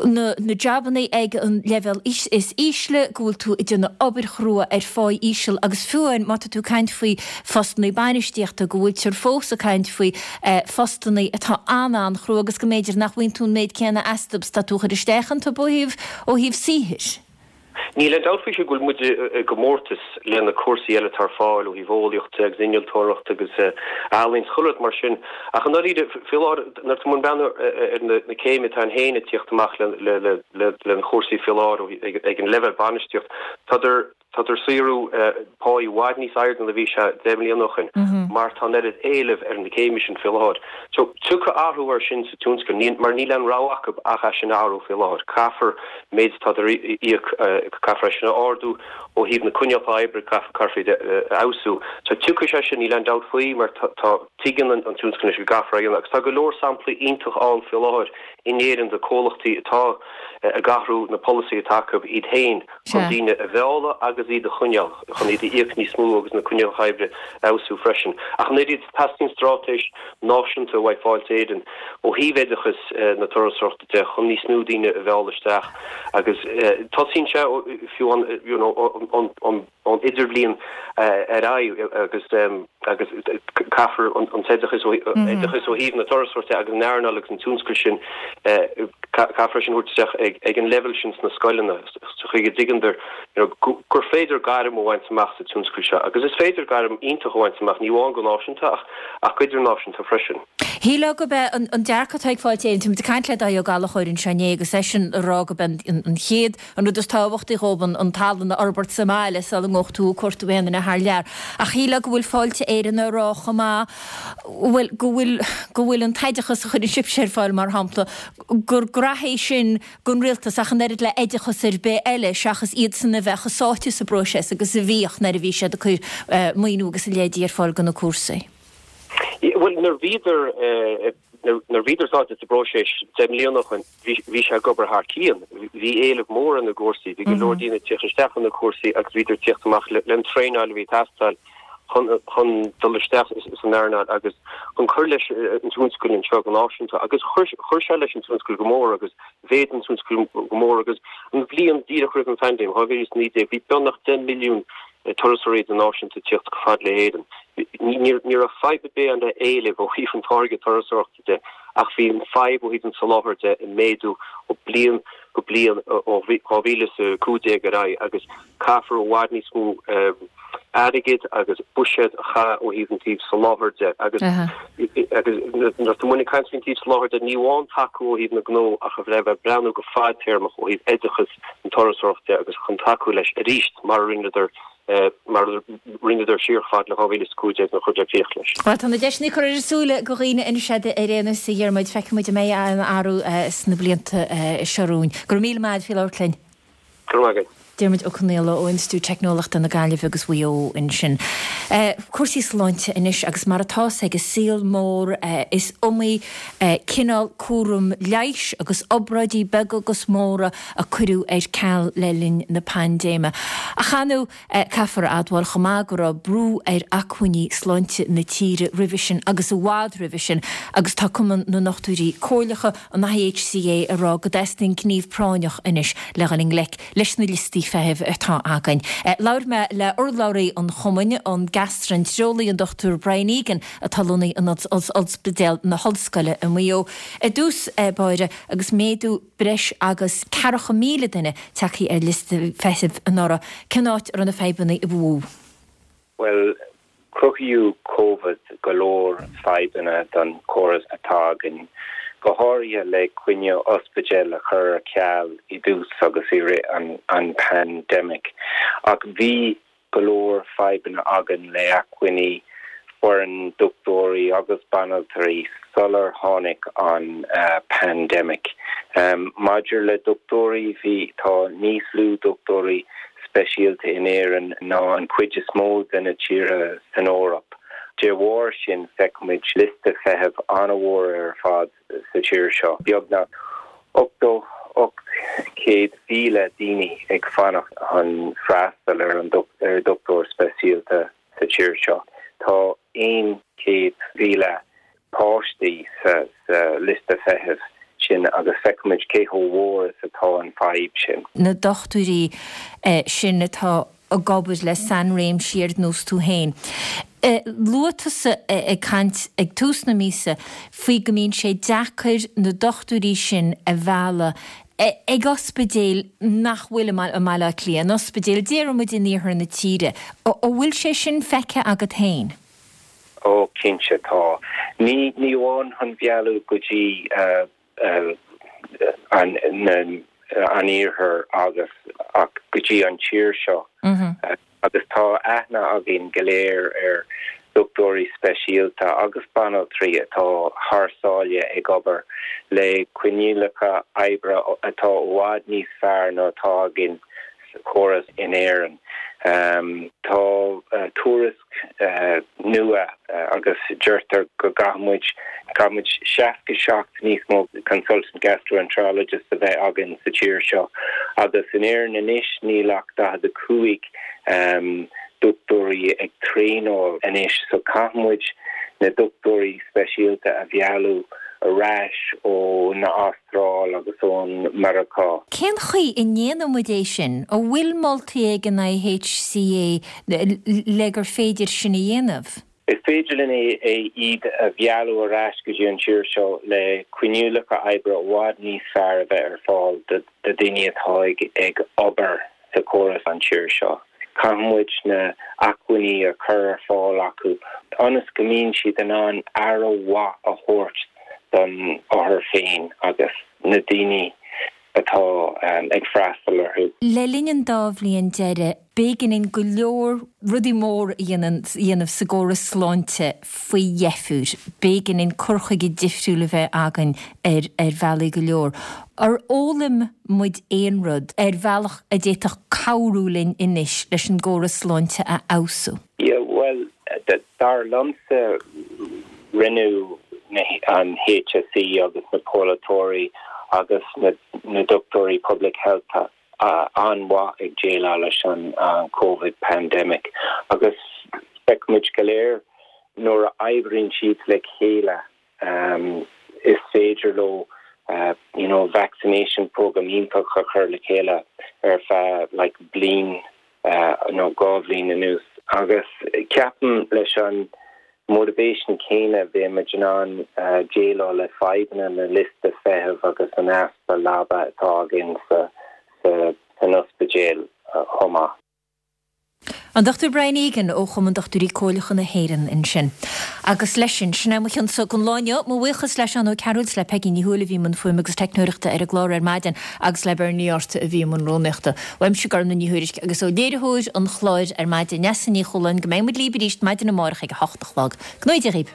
na na jabannaí ag an leibhéal is ísle, go bhfuil tú ag déanamh obair chrua ar pháí íseal agus fiú amháin má tá tú ag caint faoi phostannaí bainistíochta, go bhfuiltear fós ag caint faoi phostannaí atá an-an-chrua agus go mb'fhéidir nach bhfaigheann tú an méid céanna astu is atá tú a chur isteach iontu ó thaobh ó thaobh saothair. Níl aon dabht faoi sin go bhfuil muid i gcomórtas le na cúrsaí eile atá ar fáil ó thaobh eolaíochta agus innealtóireachta agus ealaíon is chuile rud mar sin ach i ndáiríre faoi láthair nuair atá muid ag breathnú ar na céimithe atá ann féin ag tíocht amach le na cúrsaí faoi láthair ag an leibhéal bainistíocht tádar tádar ag saothrú pá i bhfad níos airde ná a bhí sé deich mbliana ó shoin mar tá an oiread éilimh ar na céimithe sin faoi láthair. So tiocfaidh athrú air sin sa tionscal mar níl aon rogha acu ach é sin a athrú faoi láthair. Caithfear méid atá á íoc, caithfear é sin a ardú ó thaobh na coinníollacha oibre, caithfear iad a fheabhsú. So tiocfaidh sé sin, níl aon dabht faoi mar tá, tuigeann an tionscal anois go gcaithfear é a dhéanamh agus tá go leor samplaí iontach ann faoi láthair in Éirinn de comhlachtaí atá ag athrú na polasaí atá acu iad féin chun daoine a mhealladh agus iad a choinneáil, chun iad a íoc níos mó agus na coinníollacha oibre a fheabhsú freisin. Ach an oiread, teastaíonn straitéis náisiúnta uaidh Fáilte Éireann ó thaobh oideachas na turasóireachta de chun níos mó daoine a mhealladh isteach agus tosaíonn sé fiú ón idirbhliain ar aghaidh agus agus caithfear an t-oideachas oideachas ó thaobh na turasóireachta agus an earnáil agus an tionscal sin caithfear sin a thabhairt isteach ag an leibhéal sin sna scoileanna sa chaoi go dtuigeandar gur féidir gairm a bhaint amach sa tionscal seo agus is féidir gairm iontach a bhaint amach ní amháin go náisiúnta ach ach go idirnáisiúnta freisin. Shílfeá gurb é an dearcadh atá ag Fáilte Éireann, tá muid ag caint le Dáithí Ó Gallchóir anseo inné agus eisean ag rá gurb é an chéad, an rud is tábhachtaí dhóibh an tallann a fhorbairt sa mbaile sula ngabhfadh tú ag cuartú aon duine thar lear. Ach shílfeá go bhfuil Fáilte Éireann ag rá chomh maith, bhuel, go bhfuil, go bhfuil an t-oideachas a chuireann sibhse ar fáil, mar shampla, gur graithe é sin don rialtas ach an oiread le oideachas ar bith eile seachas iadsan a bheith chomh sáite sa bpróiseas agus a bhíodh nuair a bhí siad ag cur maoiniú agus a leithéidí ar fáil do na cúrsaí. Bhuel, nuair bhíodar nuair bhíodar sáite sa bpróiseas deich mbliana ó shin, bhí sé ag obair thar cionn. Bhí éileamh mór ar na gcúrsaí, bhí go leor daoine ag tíocht isteach ar na cúrsaí agus bhíodar ag tíocht amach le an traenáil a bhí ag teastáil chun chun dul isteach san earnáil agus chun cur leis an tionscal anseo go náisiúnta. Agus chuir chuir sé leis an tionscal go mór agus mhéadaigh an tionscal go mór agus an bhliain díreach roimh an phaindéim, dhá mhíle is naoi déag, bhí beagnach deich milliún turasóirí idirnáisiúnta ag tíocht chomh fada le hÉirinn. Ní raibh fadhb ar bith ann le éileamh ó thaobh an táirge turasóireachta de ach bhí an fadhb ó thaobh an tsoláthair de ag méadú ó bliain go bliain ó dhá mhíle is a cúig déag ar aghaidh agus caithfear i bhfad níos mó airgid agus buiséad a chaitheamh ó thaobh an taobh soláthair de agus agus nuair atá muid ag caint faoin taobh soláthair de ní amháin tacú ó thaobh na gnó ach a bheith ag breathnú go fadtéarmach ó thaobh oideachas an turasóireachta de agus chun tacú leis arís mar a rinneadar mar a rinneadar siar chomh fada le dhá mhíle is a cúig déag nuair a chuireadar críoch leis. Bhuel, tá na deiseanna curtha ar a súile do dhaoine anois ar aon nós, a Dhiarmuid. Feicfidh muid an mbeidh aon athrú sna blianta seo romhainn. Go raibh míle maith agat faoi labhairt linn. Go raibh maith agat. Diarmuid Ó Conaola ó Institiúid Teicneolaíochta na Gaillimhe agus Mhaigh Eo ansin. Cúrsaí sláinte anois agus mar atá a fhios ag an saol mór is iomaí cineál cúram leighis agus obráidí beaga agus móra a cuireadh ar ceal le linn na paindéime. Ach ar ndóigh caithfear a admháil chomh maith go raibh brú ar acmhainní sláinte na tíre roimhe sin agus i bhfad roimhe sin agus tá Cumann na nDochtúirí Comhairleacha, an I H C A, ag rá go dteastaíonn gníomh práinneach anois le dhul i ngleic leis na liostaí feithimh atá againn. Labhair mé le urlabhraí an chumainn, an gastraintearólaí an Dochtúir Brian Egan atá lonnaithe in Ospidéal na hOllscoile i Maigh Eo. I dtús báire agus méadú breis agus ceathracha míle duine tagtha ar liosta feithimh anuraidh, cén áit a raibh na fadhbanna ba mhó? Bhuel, cruthaíodh Covid go leor fadhbanna don chóras atá againn, go háirithe le coinne ospidéil a chur ar ceal i dtús agus i rith an an pandemic. Ach bhí go leor fadhbanna againn le acmhainní foireann dochtúirí agus banaltraí sular tháinig an pandemic. Maidir le dochtúirí, bhí tá níos lú dochtúirí speisialta in Éirinn ná an chuid is mó de na tíortha san Eoraip. De bharr sin feicimid liosta feithimh an-mhór ar fad sa tír seo. Beagnach ochtó ocht céad mhíle daoine ag fanacht chun freastal ar an ar dochtúir speisialta sa tír seo. Tá aon chéad mhíle páistí sa sa liosta feithimh sin agus feicimid cé chomh mór is atá an fadhb sin. Na dochtúirí sin atá ag obair le sainréimsí ar nós tú féin. Luaigh tusa ag caint ag tús na míosa faoi go mbíonn sé deacair na dochtúirí sin a mhealladh ag ospidéil nach bhfuil i mBaile Átha Cliath, in ospidéil déarfaidh muid in iarthar na tíre. An bhfuil sé sin feicthe agat féin? Ó cinnte tá. Ní ní amháin chun mealladh go dtí an an iarthar agus ach go dtí an tír seo. Agus tá aithne againn go léir ar dochtúirí speisialta agus banaltraí atá thar sáile ag obair le coinníollacha oibre atá i bhfad níos fearr ná atá againn sa chóras in Éirinn. Um, tá uh, tuairisc uh, nua uh, agus deirtear go gcaithfimid caithfimid seasca seacht níos mó consultant gastroenterologist a bheith againn sa tír seo agus in Éirinn anois níl ach daichead a cúig um, dochtúirí ag traenáil anois so caithfimid na dochtúirí speisialta a mhealladh ar ais ó na Astráil agus ón Meiriceá. Cén chaoi a ndéanann muid é sin, an bhfuil moltaí ag an I H C A le gur féidir sin a dhéanamh? Is féidir linn é iad a mhealladh ar ais go dtí an tír seo le coinníollacha oibre i bhfad níos fearr a bheith ar fáil do daoine atá ag obair sa chóras an tír seo. Caithfidh muid na acmhainní a chur ar fáil acu ionas go mbíonn siad in ann aire mhaith a thabhairt don othar féin agus na daoine atá ag freastal orthu. Le linn an dá bhliain deiridh, b'éigean dúinn go leor rudaí móra a dhéanamh sa gcóras sláinte faoi dheifir. B'éigean dúinn cur chuige difriúil a bheith againn ar ar bhealaí go leor. Ar fhoghlaim muid aon rud ar bhealach a d'fhéadfadh cabhrú linn anois leis an gcóras sláinte a fheabhsú? Yeah, bhuel, dar liomsa rinneadh an HSE agus na polaiteoirí agus na na dochtúirí public health an-mhaith ag déileáil leis an Covid pandemic agus feicimid go léir nuair a oibríonn siad le chéile um, is féidir leo uh, you know, vaccination program iontach a chur le chéile ar feadh like, bliain uh, nó dhá bhliain anuas agus ceapaim leis an motivation céanna bheimid in ann uh, déileáil le fadhbanna na liosta feithimh agus an easpa leaba atá againn sa sa san ospidéal uh, chomh maith. An Dr Brian Egan ó Chumann Dochtúirí Comhairleacha na hÉireann ansin. Agus leis sin sin é mo chionsa don lá inniu mo bhuíochas le Seán Ó Cearúil le Peggy Ní Thuathail a bhí i mbun fuaime agus teicneoireachta ar an gclár ar maidin agus le Bernie Ort a bhí i mbun rúnaíochta. Uaimse Gormlaith Ní Thuairisg agus ó léiritheoir an chláir ar maidin Neasa Ní Chualáin go mbeidh muid libh arís maidin amárach ag a hocht a chlog. Go ngnóthaí Dia dhaoibh.